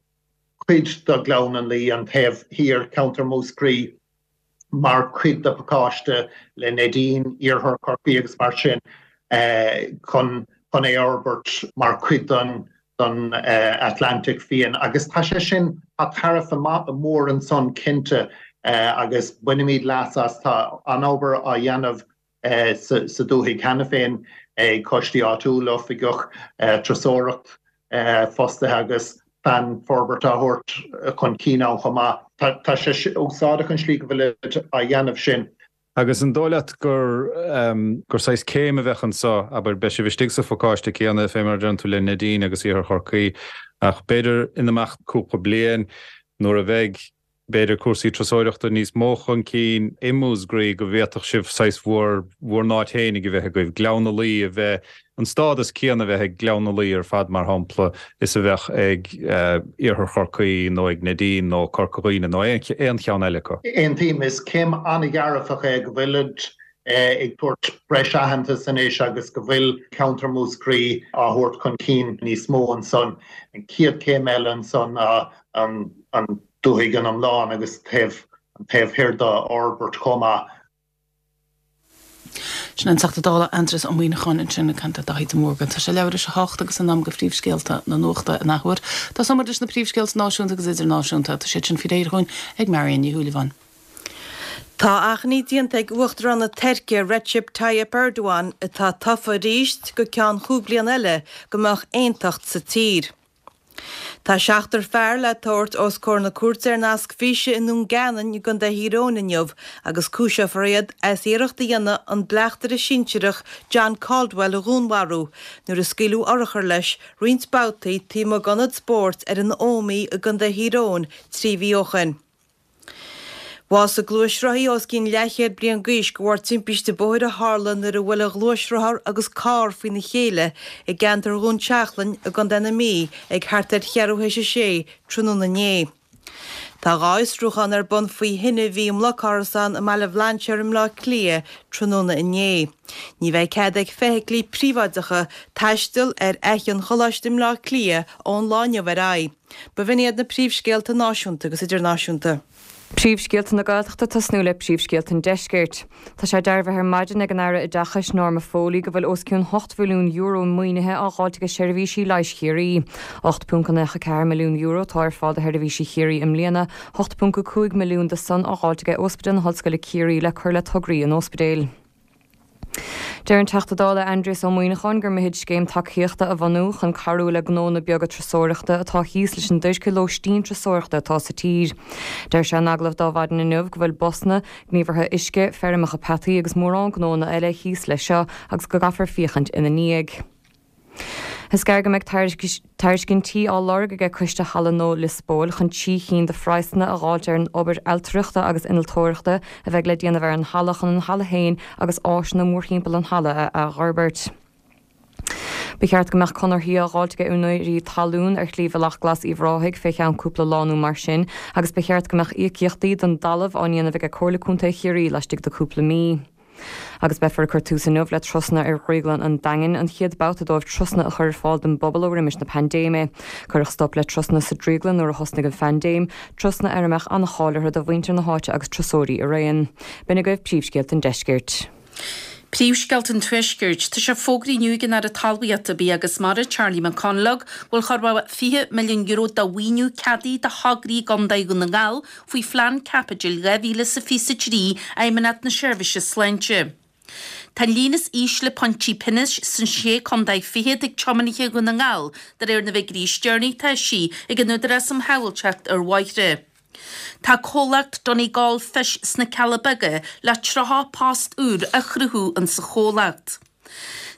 [SPEAKER 8] cuid de Ghleann an Laoi, an taobh thiar, ceantar Mhúscraí, mar chuid de phacáiste le Neidín, Iarthar Chorcaí agus mar sin chun chun é a fhorbairt mar chuid den den Atlantic Fiáin agus tá sé sin tá tairbhe mór ansan cinnte agus bainimid leas as tá an obair á dhéanamh sa dúthaigh cheana féin ag coistí áitiúla, oifigeach turasóireacht fostaithe agus plean forbartha á thabhairt chun cinn ann chomh maith. Tá sé úsáideach an slí go bhfuilid á dhéanamh sin.
[SPEAKER 9] Agus an dóigh leat gur gur saghas céim a bheadh anseo, abair, beidh sibh istigh sa phacáiste céanna fé mar a deireann tú le Neidín agus Iarthar Chorcaí, ach b'fhéidir in imeacht cúpla bliain nuair a bheidh b'fhéidir cúrsaí turasóireachta níos mó chun cinn i Múscraí go bhféadfadh sibh saghas bhur bhur n-áit fhéinig a bheith agaibh, Gleann na Laoi a bheith, an stádas céanna a bheith ag Gleann na Laoi ar fad mar shampla is a bheadh ag Iarthar Chorcaí nó ag Neidín nó Corca Dhuibhne nó aon cheann eile acu.
[SPEAKER 8] Aontaím, is céim an-dhearfach é go bhfuilid ag tabhairt breis aitheantas anois agus go bhfuil ceantar Mhúscraí á thabhairt chun cinn níos mó ansan. An chéad chéim eile ansan ná an dúthaigh an iomlán agus taobh an taobh thoir dá fhorbairt chomh maith.
[SPEAKER 1] Sin an Teachta Dála Aindrias Ó Muimhneacháin ansin ag caint le Daithí de Mórdha. Tá sé leathuair tar éis a hocht agus in am do phríomhscéalta na nuachta in athuair. Tosóidh muid leis na príomhscéalta náisiúnta agus idirnáisiúnta. Tá siad sin faoi réir dhúinn ag Marion Ní Shúilleabháin.
[SPEAKER 2] Tá achainí déanta ag Uachtarán na Tuirce Recep Tayyip Erdogan, atá tofa arís go ceann chúig bliana eile, go mbeadh aontacht sa tír. Tá seachtar fear le tabhairt os comhair na cúirte ar nasc físe i nDún Geanainn i gContae Thír Eoghain inniu agus cúiseofar iad as iarracht a dhéanamh an bleachtaire sinsearach John Caldwell a dhúnmharú nuair a scaoileadh urchar leis roinnt babhtaí taobh amuigh d'ionad spóirt ar an Ómaigh i gContae Thír Eoghain trí mhí ó shin. Bhásaigh gluaisrothaí os cionn leathchéad bliain d'aois de bharr timpiste bóthair a tharla nuair a bhuail a ghluaisrothar agus carr faoina chéile i gceantar Dhún Seachlainn i gContae na Mí ag thart ar cheathrú théis a sé tráthnóna inné. Tá dhá fhiosrúchán ar bun faoi thine a bhí i mblocárasán i mBaile Bhlainséir i mBleá Cliath tráthnóna inné. Ní bheidh cead ag feithiclí príobháideacha taisteal ar Fhaiche an Choláiste i mBleá Cliath ón lá inniu ar aghaidh. B'in iad na príomhscéalta náisiúnta agus idirnáisiúnta.
[SPEAKER 3] Príomhscéalta na Gaeltachta tosnú le príomhscéalta an Deiscirt. Tá sé dearbhaithe ar maidin ag an Aire Oideachais Norma Foley go bhfuil os cionn hocht mhilliún euro maoinithe á dháilt ag seirbhísí leighis Chiarraí. ocht ponc naoi ceathair milliún euro atá ar fáil do sheirbhísí Chiarraí i mbliana, ocht ponc cúig milliún de san á dháilt ag Ospidéal na hOllscoile Ciarraí le cur le tograí an ospidéil. Deir an Teachta Dála Aindrias Ó Muimhneacháin gur mithid scéim tacaíochta a bhunú chun cabhrú le gnónna beaga turasóireachta atá thíos leis an duairce lóistín turasóireachta atá sa tír. Deir sé in agallamh d'Adhmhaidin inniu go bhfuil busanna, gníomhartha uisce, feirmeacha peataí agus mórán gnónna eile thíos leis seo agus go gcaithfear féachaint ina ndiaidh. Is gearr go mbeidh tairiscintí á lorg aige Coiste Halla Nua Lios Póil chun trí chinn de phraghsanna a dháilt ar an obair ailtireachta agus innealtóireachta a bheidh le déanamh ar an halla chun an halla féin agus áiseanna mórthimpeall an halla a athfhorbairt. Ba cheart go mbeadh conarthaí á dháilt ag úinéirí talún ar Shlí Bhealach Glas Uíbh Ráthaigh fé cheann cúpla lá nó mar sin agus ba cheart go mbeadh íocaíochtaí don dtalamh á ndéanamh aige Comhairle Contae Chiarraí laistigh de cúpla mí. Agus beifear ag cur tús inniu le turasanna ar Dhrioglann an Daingin, an chéad babhta dóibh turasanna a chur ar fáil don bpobal ó roimis na paindéime. Cuireadh stop le turasanna sa drioglann nuair a thosnaigh an phaindéim, turasanna ar a mbeadh an-cháil orthu do mhuintir na háite agus turasóirí araon. B'in agaibh príomhscéalta an deiscirt.
[SPEAKER 4] Príomhscéalta an Tuaiscirt. Tá sé fógraithe inniu ag an Aire Talmhaíochta, Bia agus Mara, Charlie McConalogue, go bhfuil chóir a bheith fiche milliún euro de mhaoiniú ceadaithe do thograí i gContae Dhún na nGall faoi Phlean Caipitil dhá mhíle is a fiche a trí Fheidhmeannacht na Seirbhíse Sláinte. Tá an líon is ísle pointí pionóis sna Sé Contae Fichead ag tiománaithe Dhún na nGall, de réir na bhfigiúirí is deireanaí atá eisithe ag an Údarás um Shábháilteacht ar Bhóithre. Tá comhlacht Donegal Fish sna Cealla Beaga le tríocha post úr a chruthú insa chomhlacht.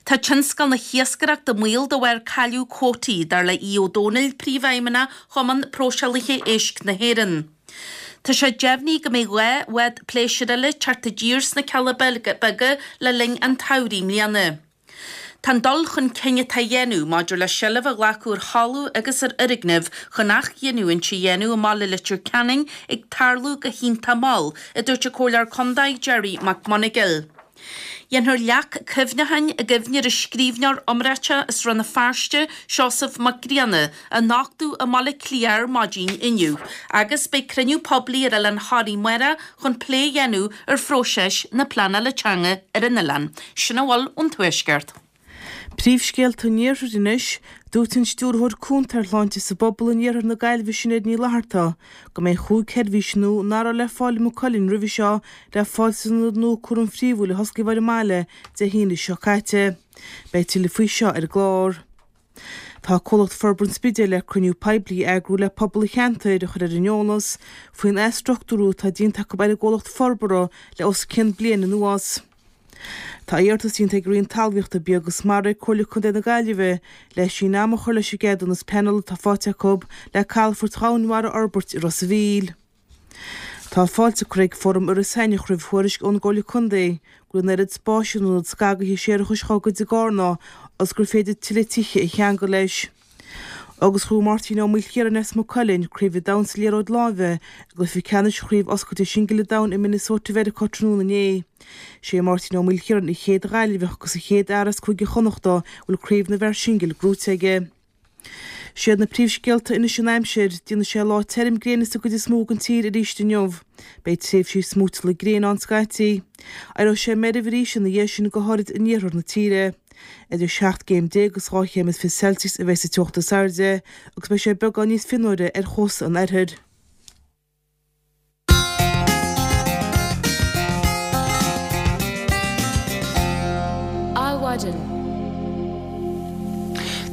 [SPEAKER 4] Tá tionscal na hiascaireachta i mbaol de bharr cailleadh cuótaí, dar le Aodh Ó Domhnaill, Príomhfheidhmeannach Chumann Próiseálaithe Éisc na hÉireann. Tá sé deimhnithe go mbeidh dhá bhád pléisiúir eile ag teacht i dtír sna Cealla Beaga le linn an tsamhraidh i mbliana. Tá an dul chun cinn atá á dhéanamh maidir le seilbh a ghlacadh ar thalamh agus ar fhoirgnimh chun athghiniúint a dhéanamh i mbaile Leitir Ceanainn ag tarlú go hiontach mall, a dúirt an Comhairleoir Contae Gerry McMonagail. Dhéanfar leac cuimhneacháin i gcuimhne ar an scríbhneoir iomráiteach as Rann na Feirste, Seosamh Mac Grianna, a nochtadh i mBaile Átha Cliath ar maidin inniu agus beidh cruinniú poiblí ar Oileán Thoraí amárach chun plé a dhéanamh ar phróiseas na pleanála teanga ar an oileán. Sin a bhfuil ón Tuaisceart.
[SPEAKER 5] Príomhscéalta an Iarthair anois, Dúirt an Stiúrthóir Cúnta ar Shláinte sa bPobal in Iarthar na Gaillimhe Sinéad Ní Fhlatharta go mbeidh chúig sheirbhís nua nach raibh le fáil i Maigh Cuilinn roimhe seo le fáil san ionad nua cúraim phríomhúil a hosclaíodh ar an mbaile Dé hAoine seo caite. Beidh tuilleadh faoi seo ar an gclár. Tá Comhlacht Forbartha an Spidéil le cruinniú poiblí a eagrú le pobal an cheantair a chur ar an eolas faoin athstruchtúrú atá déanta acu ar an gcomhlacht forbartha le os cionn bliain anuas. Tá iarratas déanta ag an Roinn Talmhaíochta, Bia agus Mara ar Comhairle Contae na Gaillimhe le síneadh ama a chur leis an gceadúnas pleanála atá faighte acu le calafort dhomhainmhara a fhorbairt i Ros a' Mhíl. Tá fáilte curtha ag Fóram Iorras Aithneach roimh thuairisc ón gComhairle Contae go bhfuil an oiread spáis in ionad scagaithe séarachais dhá gcuid i gCarna agus gur féidir tuilleadh tithe a cheangal leis. Agus ghnóthaigh Máirtín Ó Maoilchiaráin as Maigh Cuilinn Craobh an Domhain sa Liathróid Láimhe i gcluiche ceannais Chraobh Oscailte Singil an Domhain i Minnesota Mheiriceá tráthnóna inné. Sé Máirtín Ó Maoilchiaráin an chéad Ghaillimheach agus an chéad fhear as Cúige Chonnachta a bhfuil Craobh na bhFear Singil gnóite aige. Siad na príomhscéalta anois an aimsir, déanfaidh sé lá tirim gréine sa gcuid is mó den tír arís inniu. Beidh tréimhsí smúiteála gréine ann scaití. Éireoidh sé meirbh arís ina dhiaidh sin go háirid in iarthar na tíre. Idir seacht gcéim déag agus dhá chéim is fiche Celsius a bheidh sa teocht is airde agus beidh sé beagán níos fionnuaire ar chósta an oirthir.
[SPEAKER 1] Adhmhaidin.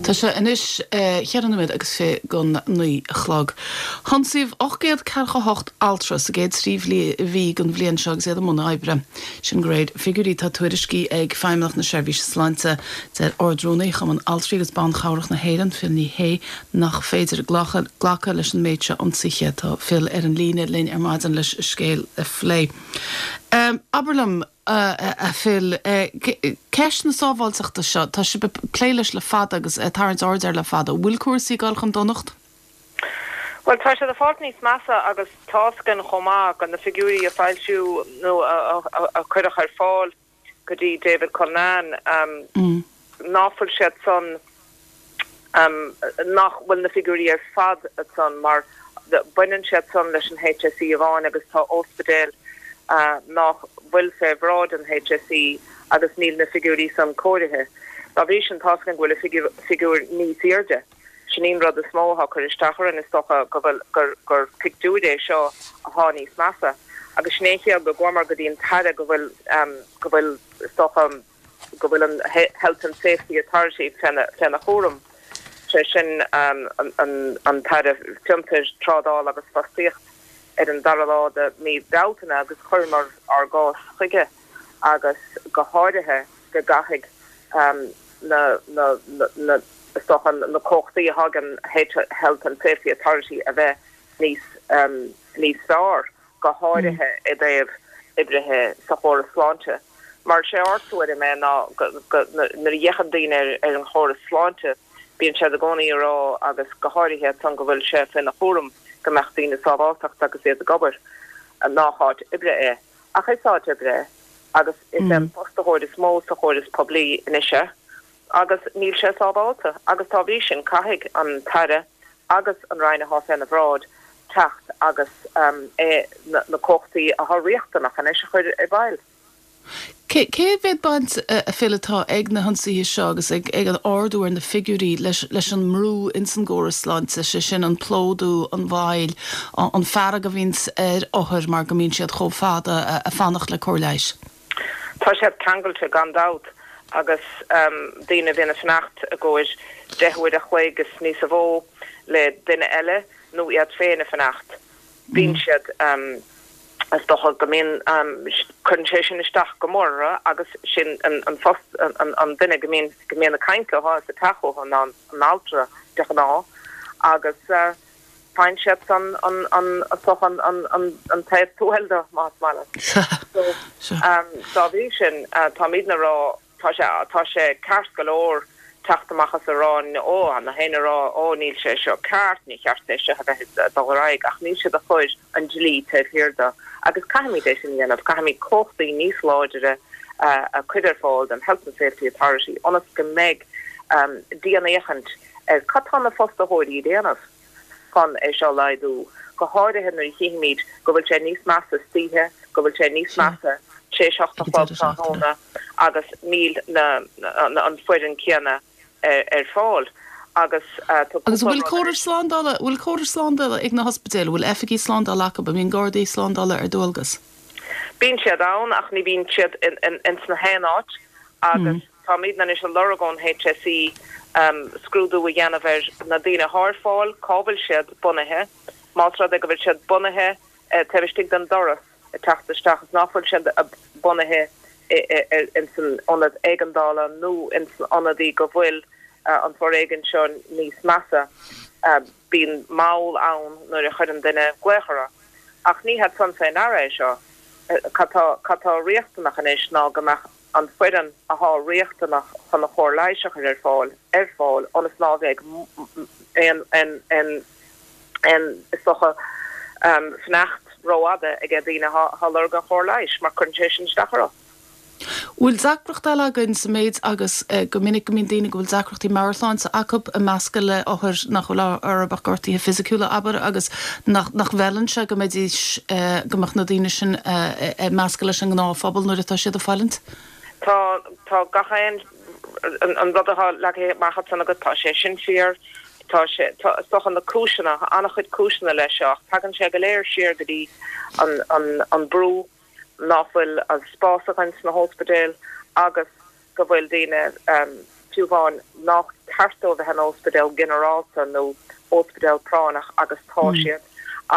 [SPEAKER 1] Tá sé anois cheithre nóiméad agus fiche don naoi a chlog. Hionsaíodh ocht gcéad ceathracha hocht altra sa gcéad trí mhí den bhliain seo agus iad i mbun oibre. Sin de réir figiúirí atá tuairiscithe ag Feidhmeannacht na Seirbhíse Sláinte. Deir Ard-Rúnaí Chumann Altraí agus Ban Chabhrach na hÉireann, Phil Ní Sheaghdha, nach féidir glacadh leis an méid seo ionsaithe. Tá Phil ar an líne linn ar maidin leis an scéal a phlé. Abair liom, a Phil, ceist na sábháilteachta seo, tá sibh ag plé leis le fada agus ag tarraingt aird air le fada. An bhfuil cúrsaí ag dul chun donacht?
[SPEAKER 10] Bhuel, tá siad ag fáilt níos measa agus tá's againn chomh maith go na figiúirí a foilsíodh nó a cuireadh ar fáil go dtí David Cullinane, ná fuil siad san, nach bhfuil na figiúirí ar fad san mar baineann siad san leis an HSE amháin agus tá ospidéil nach bhfuil fé bhráid an HSE agus níl na figiúirí san cóirithe. Dá bhrí sin tá's againn go bhfuil an figiúr níos airde. Sin í an rud is mó atá ag cur isteach orainn is dócha go bhfuil gur gur pictiúr é seo athá níos measa agus sin é an chiall go gcuamar go dtí an tAire go bhfuil go bhfuil is dócha go bhfuil an Health and Safety Authority féna chúram, sé sin an tAire Fiontair, Trádála agus Fostaíocht ar an dara lá de mí Bealtaine agus chuireamar ár gcás chuige agus go háirithe go gcaithfidh na na is dócha na cumhachtaí atá ag an Health and Safety Authority a bheith níos níos fearr. go háirithe i dtaobh oibrithe sa chóras sláinte. Mar sé ár dtuairim é ná go nuair a fhéachann daoine ar an chóras sláinte bíonn siad i gcónaí ag rá agus go háirithe iad san go bhfuil sé faoina chúram go mbeadh daoine sábháltacht agus iad ag obair, nách áit oibre é. Ach is áit oibre é agus is é an fostaitheoir is mó sa chóras poiblí anois é. agus níl sé sábháilte agus dá bhrí sin caithfidh an tAire agus an Roinn athá féna bhráid teacht agus é na cumhachtaí athá riachtanach anois a chur i bhfeighil.
[SPEAKER 1] Cé mhéad baint, a Phil, atá ag na hionsaithe seo agus ag an ardú ar na figiúirí leis an mbrú ins an gcóras sláinte, sé sin an plódú, an mhoill, an fearg a bhíonns ar othair mar go mbíonn siad chomh fada a' fanacht le cóir leighis?
[SPEAKER 10] Tá siad ceangailte gan dabht agus daoine a bhíonn ag fanacht i gcomhair deich uair a chloig is níosa mhó le duine eile nó iad féin ag fanacht, bíonn siad, is dócha go mbíonn, cuireann sé sin isteach go mór orthu agus sin an post, an duine go mbíonn, go mbíonn ag caint leo sa teach uathu ná an altra de ghnáth agus. Faigheann siad san an an an an an an taobh tuathail de, más maith leat. So, dá bhrí sin, táimidne a rá, tá sé tá sé ceart go leor teacht amach is a rá, ó, na héinne a rá, ó, níl sé seo ceart, ní cheart é seo a bheith ag dul ar aghaidh, ach níl siad ag cur an dlí taobh thiar de. Agus caithfimid é sin a dhéanamh, caithfimid cumhachtaí níos láidire a chur ar fáil don Health and Safety Authority ionas go mbeidh dianfhéachaint ar cad tá na fostaitheoirí a dhéanamh chun é seo a laghdú, go háirithe nuair a chímid go bhfuil sé níos measa istoíche, go bhfuil sé níos measa tar éis hocht a chlog tráthnóna agus níl an foireann céanna ar fáil agus
[SPEAKER 1] tá Agus bhfuil córas slándála, bhfuil córas slándála ag na hospidéil, bhfuil oifigigh slándála acu, an mbíonn gardaí slándála ar dualgas?
[SPEAKER 10] Bíonn siad ann ach ní bhíonn siad in sna haon áit agus táimid anois ag lorg ón HSE scrúdú a dhéanamh ar na daoine atá ar fáil, cá bhfuil siad bunaithe, más rud é go bhfuil siad bunaithe taobh istigh den doras ag teacht isteach is nach bhfuil siad bunaithe in san ionad éigeandála nó in san ionadaí go bhfuil an foréigean seo níos measa. Bíonn moll ann nuair a chuireann duine glaoch orthu. Ach ní hiad san fé ndeara é seo. Cad tá riachtanach anois ná go mbeadh an foireann athá riachtanach chun an chóir leighis a chur ar fáil ar fáil ionas ná bheidh aon aon aon is dócha fanacht rófhada ag daoine athá ag lorg an chóir leighis mar cuireann sé sin isteach orthu.
[SPEAKER 1] Bhfuil deacracht eile againn sa méid agus go minic go mbíonn daoine go bhfuil deacrachtaí meabhairshláinte acu ag meascadh le othair nach bhfuil orthu ach gortuithe fisiciúla, abair, agus nach nach bhfeileann sé go mbeidís go mbeadh na daoine sin ag meascadh leis an ngnáthphobal nuair atá siad ag fulaingt?
[SPEAKER 10] Tá tá gach aon an rud atá leagtha amach ansan agat, tá sé sin fíor, tá sé tá is dócha na cúiseanna, tá an-chuid cúiseanna leis seo ach tagann sé go léir siar go dtí an an an brú nach bhfuil an spás againn sna hóspidéil agus go bhfuil daoine fiú amháin nach ceart dóibh bheith in óspidéal ginearálta nó óspidéal práinneach agus tá siad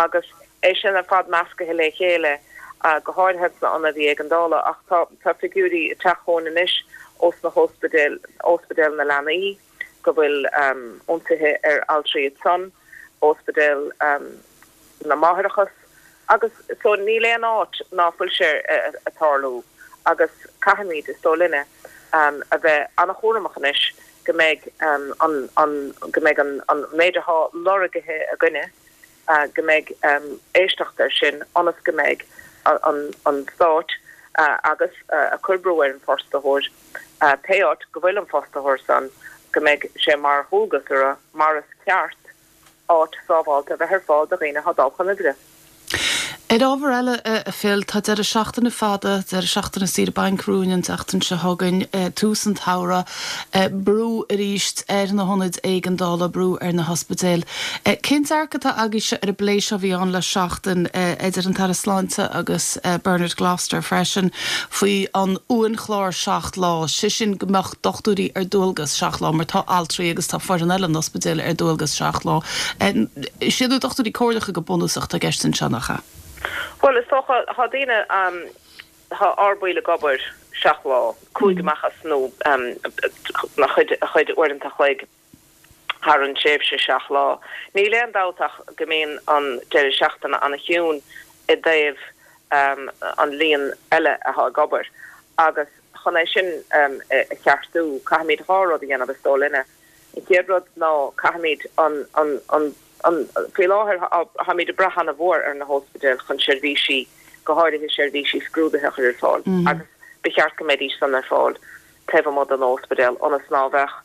[SPEAKER 10] agus é sin ar fad meascaithe le chéile go háirithe sna ionadaí éigeandála ach tá tá figiúirí ag teacht chugainn anois ós na hóspidéil óspidéal na leanaí go bhfuil ionsaithe ar altraí ansan óspidéal na máithreachas Agus so níl aon áit ná fuil sé ag tarlú agus caithfimid, is dóigh linne, a bheith an-chúramach anois go mbeidh an, an, go mbeidh an, an méid athá lorgaithe againne, go mbeidh éisteacht air sin ionas go mbeidh an, an Stát agus ag cur brú ar an bhfostaitheoir, pé áit go bhfuil an fostaitheoir san, go mbeidh sé mar dhualgas orthu, mar is ceart, áit sábháilte a bheith ar fáil do dhaoine atá ag dul chun oibre.
[SPEAKER 1] Ar ábhar eile, a Phil, tá deireadh seachtaine fada, deireadh seachtaine saoire bainc romhainn an tseachtain seo chugainn, tús an tsamhraidh, brú arís ar na hionaid éigeandála, brú ar na hospidéil. Cén dearcadh atá agaibhse ar an bplé seo a bhí ann le seachtain idir an tAire Sláinte agus Bernard Gloster freisin faoi an uainchlár seacht lá, sé sin go mbeadh dochtúirí ar dualgas seacht lá mar tá altraí agus tá foireann eile an ospidéil ar dualgas seacht lá. Is iad na dochtúirí comhairleacha go bunúsach atá i gceist anseo, nach ea?
[SPEAKER 10] Bhuel, is dócha, tá daoine, tá ár baill ag obair seacht lá, cúig amach as nó a chuid, a chuid uaireanta a chloig thar an tréimhse seacht lá. Níl aon dabht ach go mbíonn an deireadh seachtaine an-chiúin i dtaobh an líon eile atá ag obair agus chun é sin a cheartú, caithfimid dhá rud a dhéanamh, is dóigh linne. An chéad rud ná caithfimid an, an, an, an, faoi láthair táimid ag brath an-mhór ar na hóspidéil chun seirbhísí, go háirithe seirbhísí scrúdaithe a chur ar fáil agus ba cheart go mbeidís san ar fáil taobh amuigh den óspidéal ionas ná bheadh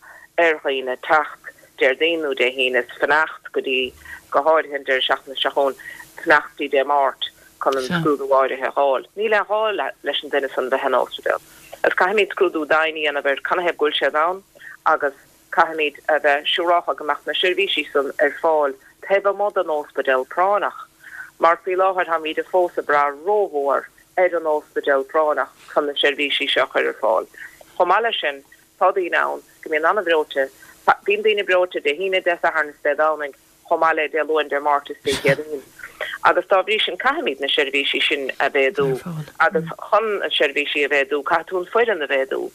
[SPEAKER 10] ar dhaoine teacht Déardaoin nó Dé hAoine is fanacht go dtí, go háirithe an deireadh seachtaine seo chugainn, fanacht go dtí Dé Máirt chun an scrúdú áirithe a fháil. Níl aon ghá leis an duine san bheith in óspidéal. Agus caithfimid scrúdú domhain a dhéanamh ar canathaobh go bhfuil siad ann agus Caithfimid a bheith siúrálta go mbeadh na seirbhísí san ar fáil taobh amuigh den óspidéal práinneach, mar faoi láthair táimid fós ag brath rómhór ar an óspidéal práinneach chun na seirbhísí seo a chur ar fáil. Chomh maith leis sin, tá daoine ann go mbíonn an-bhreoite, bíonn daoine breoite Dé hAoine, Dé Sathairn is Dé Domhnaigh, chomh maith le Dé Luain, Dé Máirt is Dé Céadaoin. Agus dá bhrí sin caithfimid na seirbhísí sin a mhéadú agus chun na seirbhísí a mhéadú caithfidh tú an foireann a mhéadú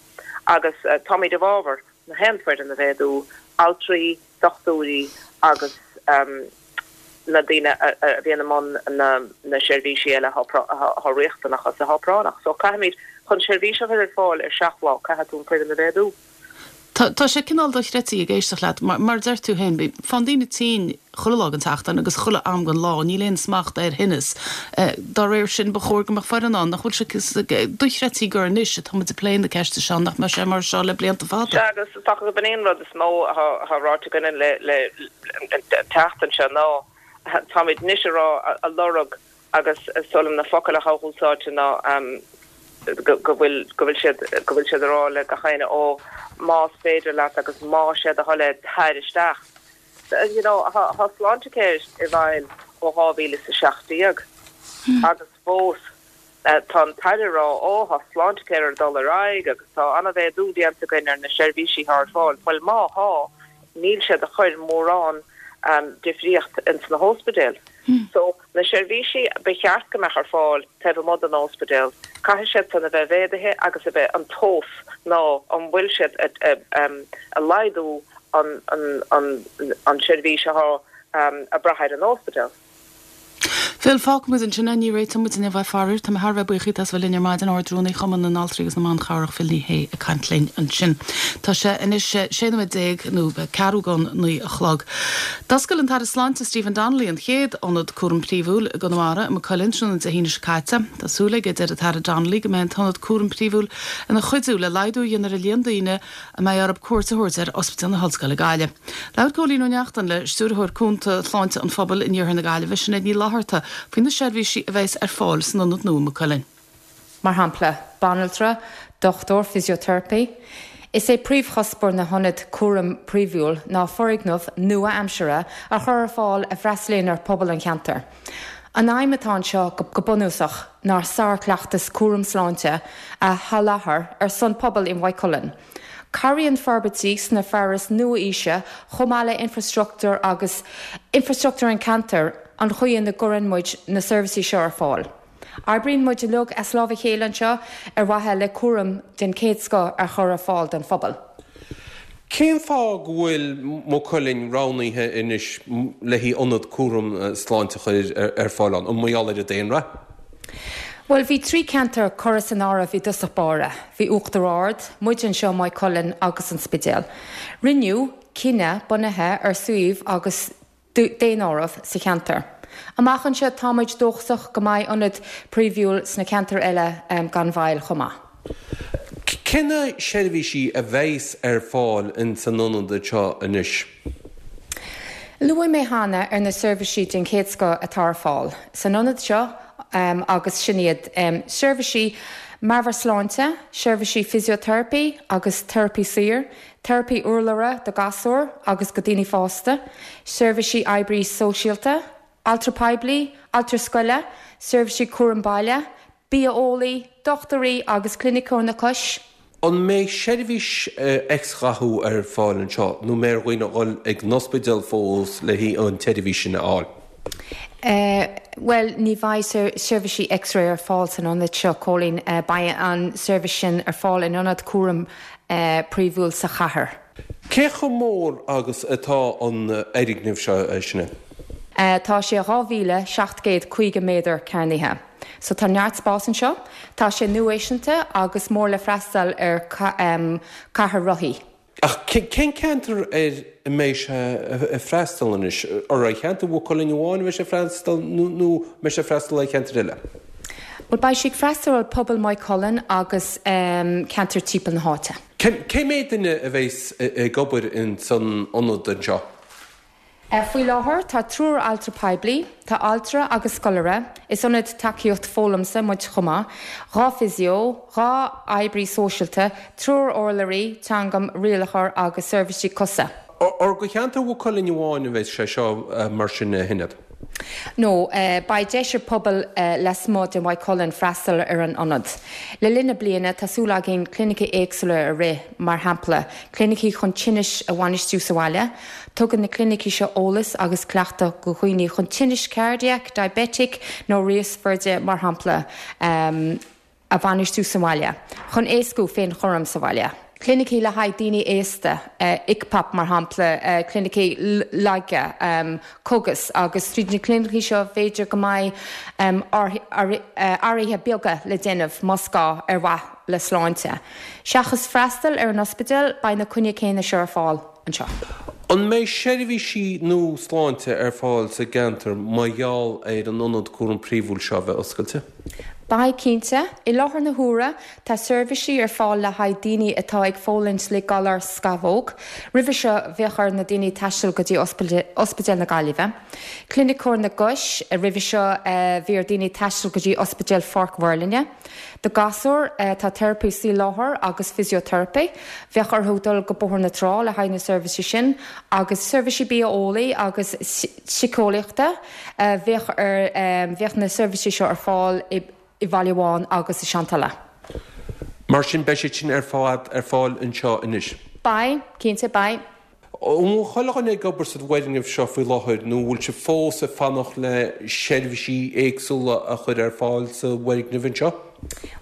[SPEAKER 10] agus táimid i bhfabhar na haon foireann a mhéadú, altraí, dochtúirí agus na daoine a bhíonn i mbun na seirbhísí eile atá riachtanach agus atá práinneach. So caithfimid, chun seirbhís a chur ar fáil ar seacht lá, caithfidh tú an foireann a mhéadú.
[SPEAKER 1] Tá sé cineál dochreidte ag éisteacht leat, mar a deir tú féin, faigheann daoine tinn chuile lá den tseachtain agus chuile am den lá, níl aon smacht ar thinneas. Dá réir sin, ba chóir go mbeadh foireann ann, nach bhfuil sé dochreidte gur anois atá muid ag plé na ceiste seo, nach mbeadh sé mar seo le blianta fada.
[SPEAKER 10] Sea, agus is dócha gurb in é an rud is mó atá ráite againne le an tseachtain seo ná táimid anois a rá, a lorg agus is dóigh liom na focail atá úsáidte ná go bhfuil go bhfuil siad go bhfuil siad a rá le gach éinne ó más féidir leat agus más é do thoil é tar isteach. You know tá Sláintecare i bhfeidhm ó dhá mhíle is a seacht déag agus fós tá an tAire a rá ó tá Sláintecare ag dul ar aghaidh agus tá an-mhéadú déanta againn ar na seirbhísí atá ar fáil. Bhuel má thá níl siad ag cur mórán difríocht ins na hóspidéil. So, na seirbhísí ba cheart go mbeadh ar fáil taobh amuigh den óspidéal, caithfidh siad san a bheith mhéadaithe agus a bheith an tomhas ná an bhfuil siad a laghdú an an an an seirbhís athá ag brath ar an óspidéal.
[SPEAKER 1] Phil, fágfaimid ansin é, ní réiteoidh muid inniu é faraor. Tá mé thar a bheith buíoch díot as bheith linn ar maidin, Ard-Rúnaí Chumann na nAltraí agus na mBan Chabhrach Phil Ní Sheaghdha ag caint linn ansin. Tá sé anois sé nóiméad déag nó ceathrú don naoi a chlog. D'oscail an tAire Sláinte Stephen Donnelly an chéad ionad cúraim príomhúil i gConamara i Maigh Cuilinn tráthnóna Dé hAoine seo caite. Tá súil aige, a deir an tAire Donnelly, go mbeidh an t-ionad cúraim príomhúil ina chuidiú le laghdú a dhéanamh ar an líon daoine a mbeidh orthu cuairt a thabhairt ar Ospidéal na hOllscoile Gaillimh. Labhair Cóilín Ó Neachtain le Stiúrthóir Cúnta Shláinte an Phobail in Iarthar na Gaillimhe, Sinéad Ní Fhlatharta, faoi na seirbhísí a bheas ar fáil san ionad nua i Maigh Cuilinn.
[SPEAKER 11] Mar shampla, banaltra, dochtúir fisioteiripe. Is é príomhchuspóir na hionad cúraim príomhúil ná foirgneamh nua-aimseartha a chur ar fáil a bhfreastalaíonn ar phobal an cheantair. An aidhm atá anseo go bunúsach ná sárchleachtas cúram sláinte a sholáthar ar son pobal i Maigh Cuilinn. Cabhraíonn forbairtí sna fearais nua-aoise chomh maith le infreastruchtúr agus infreastruchtúr an cheantair an chaoi ina gcuireann muid na seirbhísí seo ar fáil. Oibríonn muid uilig as lámh a chéile anseo ar mhaithe le cúram den chéad scoth a chur ar fáil don phobal.
[SPEAKER 12] Cén fáth go bhfuil Maigh Cuilinn roghnaithe anois le haghaidh ionad cúram sláinte a chur ar fáil ann? An mar gheall ar an daonra?
[SPEAKER 11] Bhuel, bhí trí cheantar curtha san áireamh i dtosach báire. Bhí Uachtar Ard, muid anseo Maigh Cuilinn agus an Spidéal. Rinneadh cinneadh bunaithe ar suíomh agus daonáireamh sa cheantar. Amach anseo táimid dóchasach go mbeidh ionad príomhúil sna ceantair eile gan mhoill chomh maith.
[SPEAKER 12] Cé na seirbhísí a bheas ar fáil in san ionad seo anois?
[SPEAKER 11] Luaigh mé cheana ar na seirbhísí den chéad scoth atá ar fáil san ionad seo agus sin iad, seirbhísí meabhairshláinte, seirbhísí fisioteiripe agus teiripe saor, teiripe urlabhra do ghasúir agus go daoine fásta, seirbhísí oibrí sóisialta, altra poiblí, altra scoile, seirbhísí cúram baile, bia-eolaí, dochtúirí agus cliniceoir na coise.
[SPEAKER 12] An mbeidh seirbhís X-ghathú ar fáil anseo nó mbeidh ar dhaoine dhul ag an ospidéal fós le haghaidh an tseirbhís sin a fháil?
[SPEAKER 11] Bhuel, ní bheidh seirbhísí X-ray ar fáil san ionad seo, Cóilín. Beidh an seirbhís sin ar fáil in ionad cúraim príomhúil sa chathair.
[SPEAKER 12] Cé chomh mór agus atá an fhoirgneamh seo, a Sinéad?
[SPEAKER 11] Tá sé dhá mhíle seacht gcéad caoga méadar cearnaithe. So tá neart spás anseo. Tá sé nua-fhaiseanta agus mór le freastal ar ceathrar rothaí.
[SPEAKER 12] Ach cén ceantar ar a mbeidh sé ag freastal anois? Ar cheantar Mhaigh Cuilinn amháin a bheidh sé ag freastal nó mbeidh sé ag freastal ar cheantair eile?
[SPEAKER 11] Bhuel, beidh sé ag freastal ar pobal Maigh Cuilinn agus ceantar timpeall na háite.
[SPEAKER 12] Cé mhéad duine a bheas ag obair in san ionad anseo?
[SPEAKER 11] Faoi láthair tá triúr altra poiblí, tá altra agus scoláire, is ionad tacaíocht foghlamtha muid chomh maith, dhá physio, dhá oibrí sóisialta, triúr urlabhraí teanga, rialaitheoir agus seirbhísí cosa.
[SPEAKER 12] Ar do cheantar Mhaigh Cuilinn amháin a bheidh sé seo mar sin a Shinéad?
[SPEAKER 11] No, beidh deis ar pobal lasmuigh de Mhaigh Cuilinn freastal ar an ionad. Le linn na bliana tá súil againn clinicí éagsúla a rith, mar shampla, clinicí chun tinnis a bhainistiú sa bhaile. Tugann na clinicí seo eolas agus cleachtadh do dhaoine chun tinnis cardiac, diabetic nó riosfhoirde mar shampla, a bhainistiú sa bhaile, chun éascú féinchúram sa bhaile. Clinicí le haghaidh daoine aosta, ICPAP mar shampla, clinicí laige, cogas agus tríd na clinicí seo b'fhéidir go mbeidh athruithe beaga le déanamh más gá ar mhaithe le sláinte. Seachas freastal ar an ospidéal beidh na coinní céanna seo ar fáil anseo.
[SPEAKER 12] An mbeidh seirbhísí nua sláinte ar fáil sa gceantar mar gheall ar an ionad cúram príomhúil seo a bheith oscailte?
[SPEAKER 11] Beidh, cinnte. I láthair na huaire, tá seirbhísí ar fáil le haghaidh daoine atá ag fulaingt le galar scamhóg. Roimhe seo, bheadh ar na daoine taisteal go dtí Ospidéal na Gaillimhe. Cliniceoir na gcos, roimhe seo, bhí ar daoine taisteal go dtí Ospidéal Pháirc Mhuirlinne. Do ghasúir, tá teiripí saoi láthair agus fisioteiripe. Bheadh orthu dul go Bóthar na Trá le haghaidh na seirbhísí sin agus seirbhísí bia-eolaí agus síceolaíochta. Bheadh ar bheadh na seirbhísí seo ar fáil i Bhaile Bháin agus i Seantola.
[SPEAKER 12] Mar sin beidh siad sin ar fad ar fáil anseo anois?
[SPEAKER 11] Beidh, cinnte, beidh.
[SPEAKER 12] An bhfuil chuile dhuine ag obair sa bhfoirgneamh seo faoi láthair nó an bhfuil sibh fós ag fanacht le seirbhísí éagsúla a chur ar fáil sa bhfoirgneamh anseo?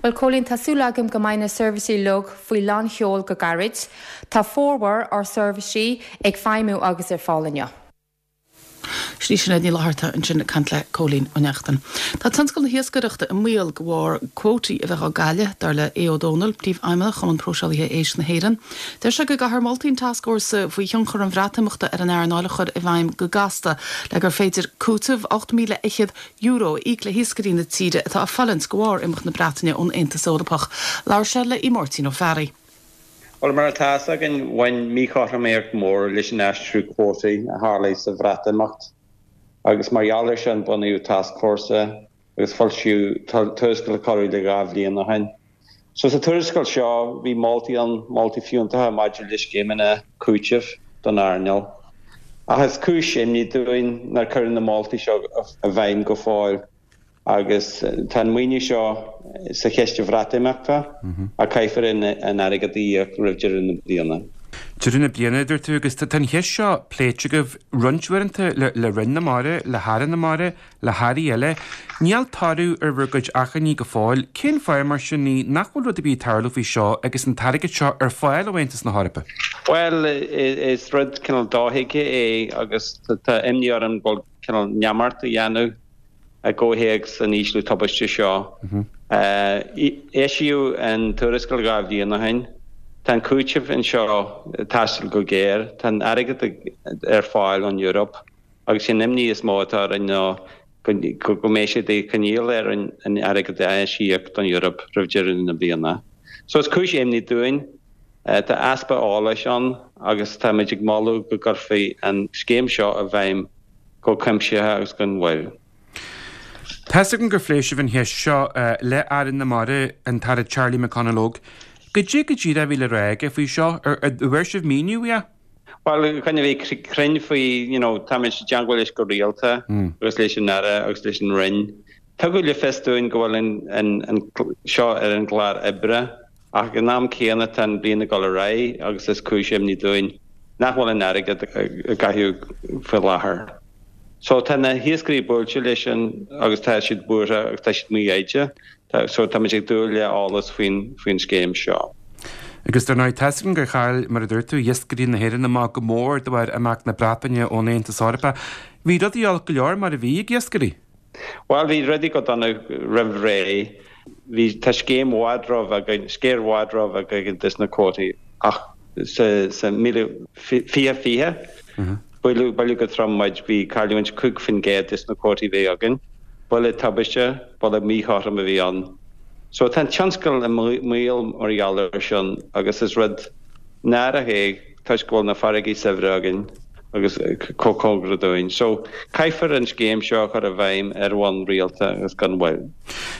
[SPEAKER 11] Bhuel, Cóilín, tá súil agam go mbeidh na seirbhísí uilig faoi lán-sheol go gairid. Tá formhór ár seirbhísí ag feidhmiú agus ar fáil inniu.
[SPEAKER 1] Sin í Sinéad Ní Fhlatharta ansin ag caint le Cóilín Ó Neachtain. Tá tionscal na hiascaireachta i mbaol de bharr cuótaí a bheith á gcailleadh, dar le Aodh Ó Dónaill, Príomhfheidhmeannach Chumann Próiseálaithe Éisc na hÉireann. Deir sé go gcaithfear moltaí an Tascfhórsa faoi thionchar an Bhreatimeachta ar an earnáil a chur i bhfeidhm go gasta le gur féidir cúiteamh ocht míle fhichead euro a íoc le hiascairí na tíre atá ag fulaingt de bharr imeacht na Breataine ón Aontas Eorpach. Labhair sé le Máirtín Ó Fearraigh.
[SPEAKER 13] Bhuel, mar atá a fhios againn, bhain míchothromaíocht mhór leis an aistriú cuótaí a tharlaigh sa Bhreatimeacht agus mar gheall air sin bunaíodh tascfhórsa agus foilsíodh tuarascáil corradh le dhá bhliain ó shin. So sa tuarascáil seo bhí moltaí ann, moltaí fiúntacha maidir le scéimeanna cúitimh don earnáil. Ach is cúis imní dúinn nár cuireadh na moltaí seo i bhfeidhm go fóill. Agus tá an maoiniú seo sa chiste Bhreatimeachta ach caithfear an airgead a íoc roimh deireadh na bliana.
[SPEAKER 14] Deireadh na bliana, a dúirt tú, agus tá an cheist seo pléite agaibh roinnt uaireanta le Roinn na Mara, le hAire na Mara, le hAirí eile. Níl toradh ar bhur gcuid achainí go fóill. Cén fáth, mar sin, nach bhfuil rud ar bith ag tarlú faoi seo agus an t-airgead seo ar fáil ó Aontas na hEorpa?
[SPEAKER 13] Bhuel, is rud cineál dothuigthe é agus tá imní orm go bhfuil cineál neamart á dhéanamh. I gcomhthéacs an ísliú tubaiste seo, eisíodh an tuarascáil dhá bhliain ó shin. Tá an cúiteamh anseo ag teastáil go géar. Tá an airgead ar fáil ón Eoraip agus sé an imní is mó atá orainn ná go mbeidh sé de choinníoll ar an airgead a eisíoc don Eoraip roimh deireadh na bliana. So is cúis imní dúinn. Tá easpa eolais ann agus táimid ag moladh go gcuirfí an scéim seo i bhfeidhm go cuimsitheach agus gan mhoill.
[SPEAKER 14] Tá's agam gur phléigh sibh an cheist seo le Aire na Mara, an tAire Charlie McConalogue. Goidé go díreach a bhí le rá aige faoi seo? An bhfuair sibh míniú uaidh?
[SPEAKER 13] Bhuel, chun a bheith cruinn faoi, you know, táimid i dteangmháil leis go rialta agus leis an Aire agus leis an Roinn. Tugadh le fios dúinn go bhfuil an seo ar an gclár oibre ach ag an am céanna tá an bhliain ag dul ar aghaidh agus is cúis imní dúinn nach bhfuil an airgead á gcaitheamh faoi láthair. So tá na hiascairí buailte leis sin agus tá siad buartha agus tá siad mífhoighdeach. So táimid ag dúil le eolas faoin faoin scéim seo.
[SPEAKER 14] Agus dar ndóigh, tá's agam gur chaill, mar a dúirt tú, iascairí na hÉireann amach go mór de bharr imeacht na Breataine ón Aontas Eorpach. Bhí rudaí olc go leor mar a bhí ag iascairí.
[SPEAKER 13] Bhuel, bhí rudaí go dona roimh ré. Bhí, tá scéim i bhfad roimh againn, sciar i bhfad roimh againn des na cuótaí ach sa, sa míle, fiche fiche, buaileadh, buaileadh go trom muid, bhí cailliúint cúig faoin gcéad des na cuótaí a bhí againn. Buille tubaiste, buille míchothrom a bhí ann. So tá an tionscal i mbaol mar gheall air sin agus is rud náireach é toisc go bhfuil na farraigí saibhre againn agus chomh cóngarach dúinn. So, caithfear an scéim seo a chur i bhfeidhm ar bhonn rialta agus gan mhoill.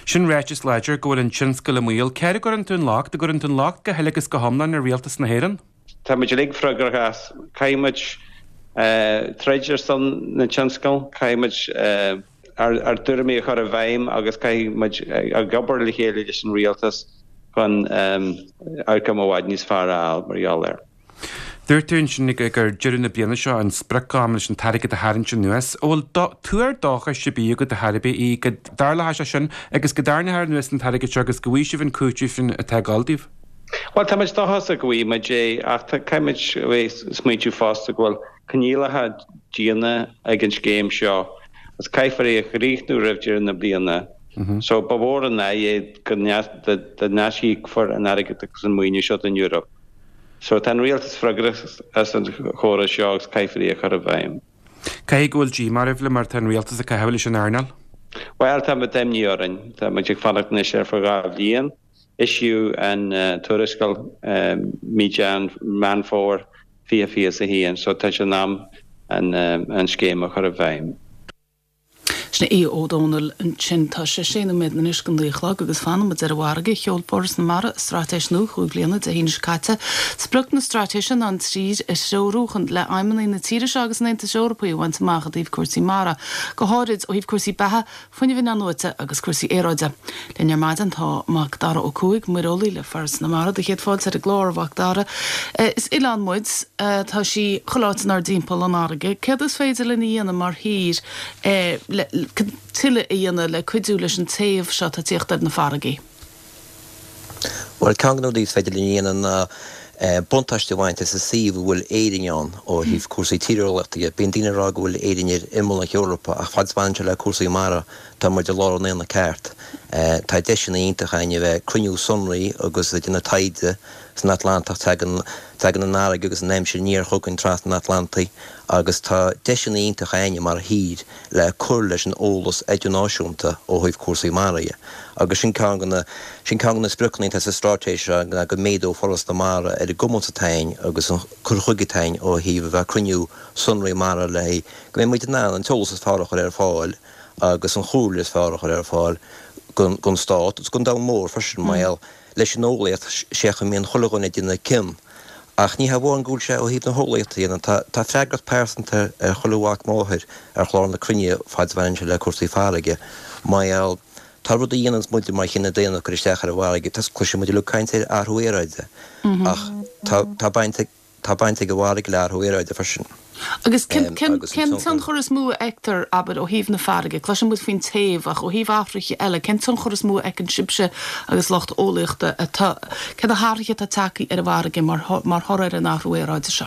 [SPEAKER 14] Sin ráiteas láidir go bhfuil an tionscal i mbaol. Cé air a gcuireann tú an locht? An gcuireann tú an locht go huile agus go hiomlán ar Rialtas na hÉireann?
[SPEAKER 13] Tá muid uilig freagrach as. Caithfidh muid troid ar son na tionscail, caithfidh muid ár dtuairimí a chur i bhfeidhm agus caithfidh muid ag obair le chéile leis an rialtas chun outcome i bhfad níos fearr a fháil mar gheall air.
[SPEAKER 14] Dúirt tú ansin gur deireadh na bliana seo an sprioc-am leis an t-airgead a tharraingt anuas. An bhfuil tuar dóchais ar bith agat ar chor ar bith go dtarlóidh sé sin agus go dtarraingeofar anuas an t-airgead seo agus go bhfaighidh sibh an cúiteamh sin atá ag dul daoibh?
[SPEAKER 13] Bhuel, tá muid dóchasach go bhfaighidh muid é ach caithfidh muid a bheith ag smaointiú fosta go bhfuil coinníollacha diana ag an scéim seo agus caithfear é a chríochnú roimh deireadh na bliana. So ba mhór an ádh é go n-aisíocfar an airgead agus an maoiniú seo don Eoraip. So tá an rialtas freagrach as an chóras seo agus caithfear é a chur i bhfeidhm.
[SPEAKER 14] Caithfidh go bhfuil díomá oraibh le mar tá an rialtas ag caitheamh leis an earnáil?
[SPEAKER 13] Bhuel, tá imní orainn. Tá muid ag fanacht anois ar feadh dhá bhliain. Eisíodh an tuarascáil mí Meán Fómhair fiche fiche is a haon, so tá sé in am an scéim a chur i bhfeidhm.
[SPEAKER 1] Sin Aodh Ó Domhnaill ansin. Tá sé sé nóiméad anois go naoi a chlog agus fanann muid ar an bhfarraige. Sheol Foras na Mara a straitéis nua chúig bliana Dé hAoine seo caite. Sprioc na straitéise ná an tír a threorú chun le aidhmeanna na tíre seo agus an Aontais Eorpaigh a bhaint amach i dtaobh cúrsaí mara, go háirid ó thaobh cúrsaí beatha, fuinnimh inathnuaite agus cúrsaí aeráide. Linn ar maidin tá Mac Dara Ó Cuaig, muireolaí le Foras na Mara. Do chéad fáilte ar an gclár, a Mhac Dara. Is oileán muid, tá sí chuile áit inár dtimpeall, an fharraige. Céard is féidir linn a dhéanamh mar thír le tuilleadh a dhéanamh le cuidiú leis an téamh seo atá ag tíocht ar na farraigí?
[SPEAKER 15] Bhuel, ceann de na rudaí is féidir linn a dhéanamh ná buntáiste a bhaint as an suíomh a bhfuil Éirinn ann ó thaobh cúrsaí tíreolaíochta de. Bíonn daoine ag rá go bhfuil Éirinn ar imeall na hEorpa ach fad is a bhaineann sé le cúrsaí mara, tá muid i lár an aonaigh ceart. Tá deiseanna iontacha againn a bheith ag cruinniú sonraí agus ag déanamh taighde san Atlantach. Tagann tagann an fharraige agus an aimsir aniar chugainn trasna an Atlantaigh agus tá deiseanna iontacha againne mar thír le cur leis an eolas idirnáisiúnta ó thaobh cúrsaí mara dhe. Agus sin ceann de na, sin ceann de na spriocanna atá sa straitéis seo ná go méadódh Foras na Mara ar an gcumas atá againn agus an cur chuige atá againn ó thaobh a bheith ag cruinniú sonraí mara le go mbeidh muid in ann an t-eolas is fearr a chur ar fáil agus an chomhairle is fearr a chur ar fáil don stát agus don domhan mór freisin mar gheall leis an eolaíocht sé a mbíonn chuile dhuine ag déanamh cion. Ach ní hamháin go bhfuil sé ó thaobh na heolaíochta a dhéanamh, tá tá freagracht pearsanta ar chuile mhac máthar ar chlár na cruinne fad is a bhaineann sé le cúrsaí farraige mar gheall tá rudaí a dhéananns muide mar chine daonna ag cur isteach ar an bhfarraige, tá cloiseann muid uilig caint ar athrú aeráide ach tá tá baint ag tá baint ag an bhfarraige le athrú aeráide freisin.
[SPEAKER 1] Agus cén cén cén tionchar is mó a fheictear, abair, ó thaobh na farraige? Cloiseann muid faoin téamh ach ó thaobh athruithe eile, cén tionchar is mó a fheiceann sibhse agus lucht eolaíochta atá, cé na hathruithe atá tagtha ar an bhfarraige mar mar thoradh ar an athrú aeráide seo?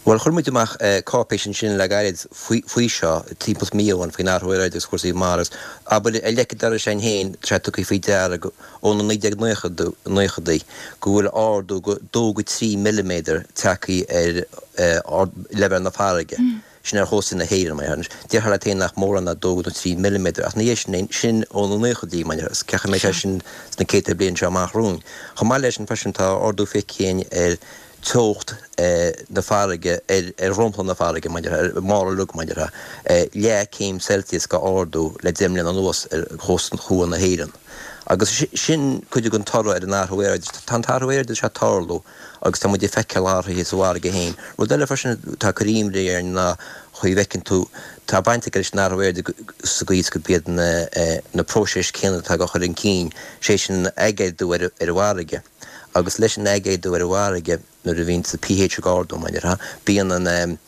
[SPEAKER 15] Bhuel, chuir muid amach cáipéis ansin le gairid faoi seo, timpeall mí ó shin, faoin athrú aeráide agus cúrsaí mara agus, abair, ar leic an dorais againn féin, tá sé tugtha faoi deara ó na naoi déag naochadaí go bhfuil ardú go dó go trí milliméadar tagtha ar leibhéal na farraige. Sin ar chósta na hÉireann, mar dhea. Déarfá leat féin nach mórán ná dó nó trí milliméadar, ach ina dhiaidh sin, sin ó na naochadaí, mar dhea, agus cén chaoi a mbeidh sé sin sna céadta bliain seo amach romhainn. Chomh maith leis sin freisin, tá ardú feicthe againn ar teocht na farraige ar dhromchla na farraige, mar dhea, ar an mbarr uilig, mar dhea, leath céim Celsius go ardú le deich mbliana anuas ar chósta thuaidh na hÉireann. Agus sin cuid den toradh ar an athrú aeráide. Tá an t-athrú aeráide seo ag tarlú agus tá muid ag feiceáil athruithe sa bhfarraige féin. Rud eile freisin atá ag cur imní orainn ná chaoi a bhfeiceann tú, tá baint aige leis an athrú aeráide sa gcaoi is gurb iad na próisis céanna atá á chur chun cinn, sé sin an aigéadú ar an bhfarraige. Agus leis an aigéadú ar an bhfarraige, nuair a bhíonn an pH ag ardú, mar a déarfá, bíonn an,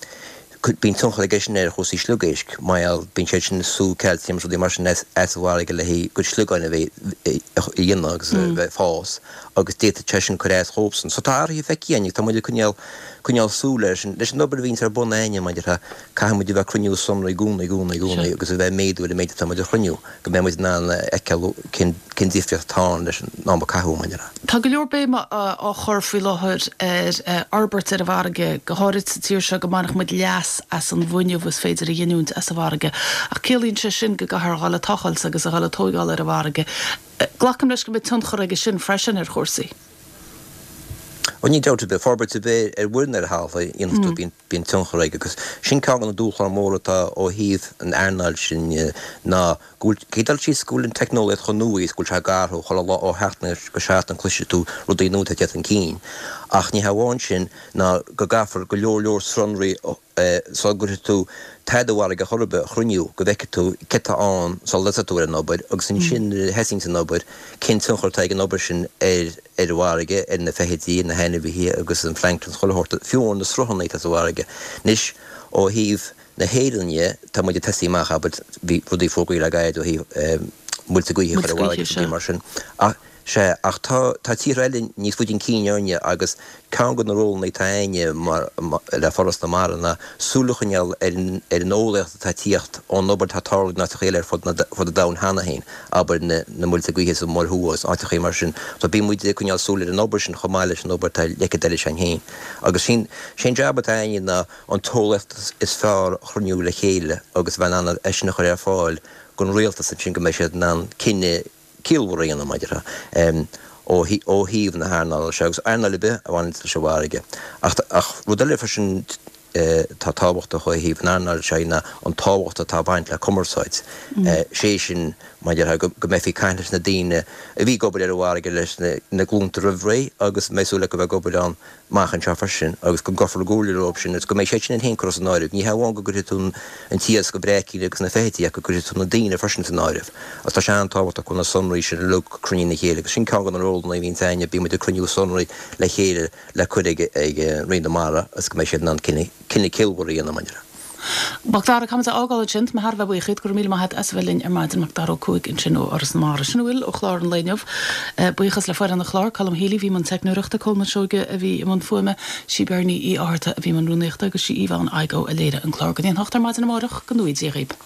[SPEAKER 15] bíonn tionchar aige sin ar chúrsaí sliogéisc, mar gheall, bíonn siad sin ag sú cailciam is rudaí mar sin as an bhfarraige le haghaidh a gcuid sliogáin a bheith a dhéanamh agus a bheith ag fás agus d'fhéadfadh sé sin cur as dhóibhsan. So tá athruithe feicthe againn agus tá muid ag coinneáil, coinneáil súil air sin. Leis an obair a bhíonns ar bun againne, mar a déarfá, caithfidh muid a bheith ag cruinniú sonraí i gcónaí, i gcónaí, i gcónaí agus a bheith ag méadú ar an méid atá muid a chruinniú go mbeidh muid in ann a fheiceáil cén, cén difríocht atá ann leis an am a caitheadh, mar a déarfá.
[SPEAKER 1] Tá go leor béime á chur faoi láthair ar fhorbairt ar an bhfarraige, go háirid sa tír seo, go mbainfeadh muid leas as an bhfuinneamh is féidir a ghiniúint as an bhfarraige. Ach ciallaíonn sé sin go gcaithfear a dhul ag tochailt agus a dhul ag tóigeáil ar an bhfarraige. Glacaim leis go mbeidh tionchar aige sin freisin ar chúrsaí.
[SPEAKER 15] Ó níl dabht ar bith, forbairt ar bith ar mhuir nó ar thalamh a dhéanfas tú bíonn tionchar aige agus sin ceann de na dúshláin mhóra atá ó thaobh an earnáil sin ná go bhfuil, caithfidh dul síos go bhfuil an teicneolaíocht chomh nua is go bhfuil sé ag athrú chuile lá ó sheachtain go seachtain cloisfidh tú rudaí nua atá ag teacht chun cinn ach ní hamháin sin ná go gcaithfear go leor leor sonraí sula gcuirfidh tú tada i bhfarraige chor ar bith a chruinniú go bhfeicfidh tú céard atá ann sula dtosóidh tú ar an obair agus ansin nuair a thosaíonns an obair cén tionchar atá ag an obair sin ar ar an bhfarraige, ar na feithidí, na hainmhithe agus an plancton is chuile shórt, fiú amháin na sruthanna atá sa bhfarraige. Anois ó thaobh na hÉireann dhe, tá muid ag tosaí amach, abair, bhí rudaí fógraithe le gairid ó thaobh muilte gaoithe a chur
[SPEAKER 1] i
[SPEAKER 15] bhfarraige
[SPEAKER 1] Muilte
[SPEAKER 15] agus
[SPEAKER 1] gaoithe,
[SPEAKER 15] rudaí
[SPEAKER 1] sea.
[SPEAKER 15] mar sin ach Sea, ach tá tá tíortha eile níos faide chun cinn orainne agus ceann de na rólanna atá againne mar le Foras na Mara ná súil a choinneáil ar an ar an eolaíocht atá ag tíocht ón obair atá ag tarlú in áiteacha eile ar fud na fud an domhain cheana féin, abair na na muilte gaoithe sa Mhuir Thuaidh agus áiteacha mar sin. So bíonn muid ag coinneáil súil ar an obair sin chomh maith leis an obair atá le leicead eile s'againn féin. Agus sin sé an jab atá againne ná an t-eolaíocht is fearr a chruinniú le chéile agus bheith in ann é sin a chur ar fáil don rialtas ansin go mbeidh siad in ann cinneadh ciallmhar a dhéanamh maidir le ó ó thaobh na hearnála seo agus earnáil ar bith a bhaineann leis an bhfarraige. Ach ach rud eile freisin atá tábhachtach ó thaobh an earnáil seo ná an tábhacht atá ag baint le cumarsáid. Sé sin maidir le go go mbeifí ag caint leis na daoine a bhí ag obair ar an bhfarraige leis na na glúnta roimh ré agus mbeidh súil acu a bheith ag obair ann amach anseo freisin agus go gcuirfear i gcomhairle leo sin agus go mbeidh siad sin féin curtha san áireamh. Ní hamháin go gcuirfidh tú an t-iasc, an bhréicín agus na feithidí ach go gcuirfidh tú na daoine freisin san áireamh. Agus tá sé an-tábhachtach go bhfuil na sonraí sin uilig cruinnithe le chéile agus sin ceann de na rólanna a bhíonns againne, bíonn muid ag cruinniú sonraí le chéile le cur ag Roinn na Mara agus go mbeidh siad in ann cinneadh ciallmhar a dhéanamh maidir le.
[SPEAKER 1] Macdara, Caithfimid a fhágáil ansin. Tá mé thar a bheith buíoch díot. Go raibh míle maith agat as a bheith linn ar maidin. Macdara Ó Cuaig ansin ó Fhoras na Mara. Sin a bhfuil ó chlár an lae inniu. Buíochas le foireann an chláir, Colm Healy a bhí i mbun teicneoireachta, Colman Seoige a bhí i mbun fuaime, sí Bernie Uí Fhátharta a bhí i mbun rúnaíochta agus sí Yvonne Igoe a léirigh an clár. Go dtí an hocht ar maidin amárach, go ngnóthaí Dia dhaoib.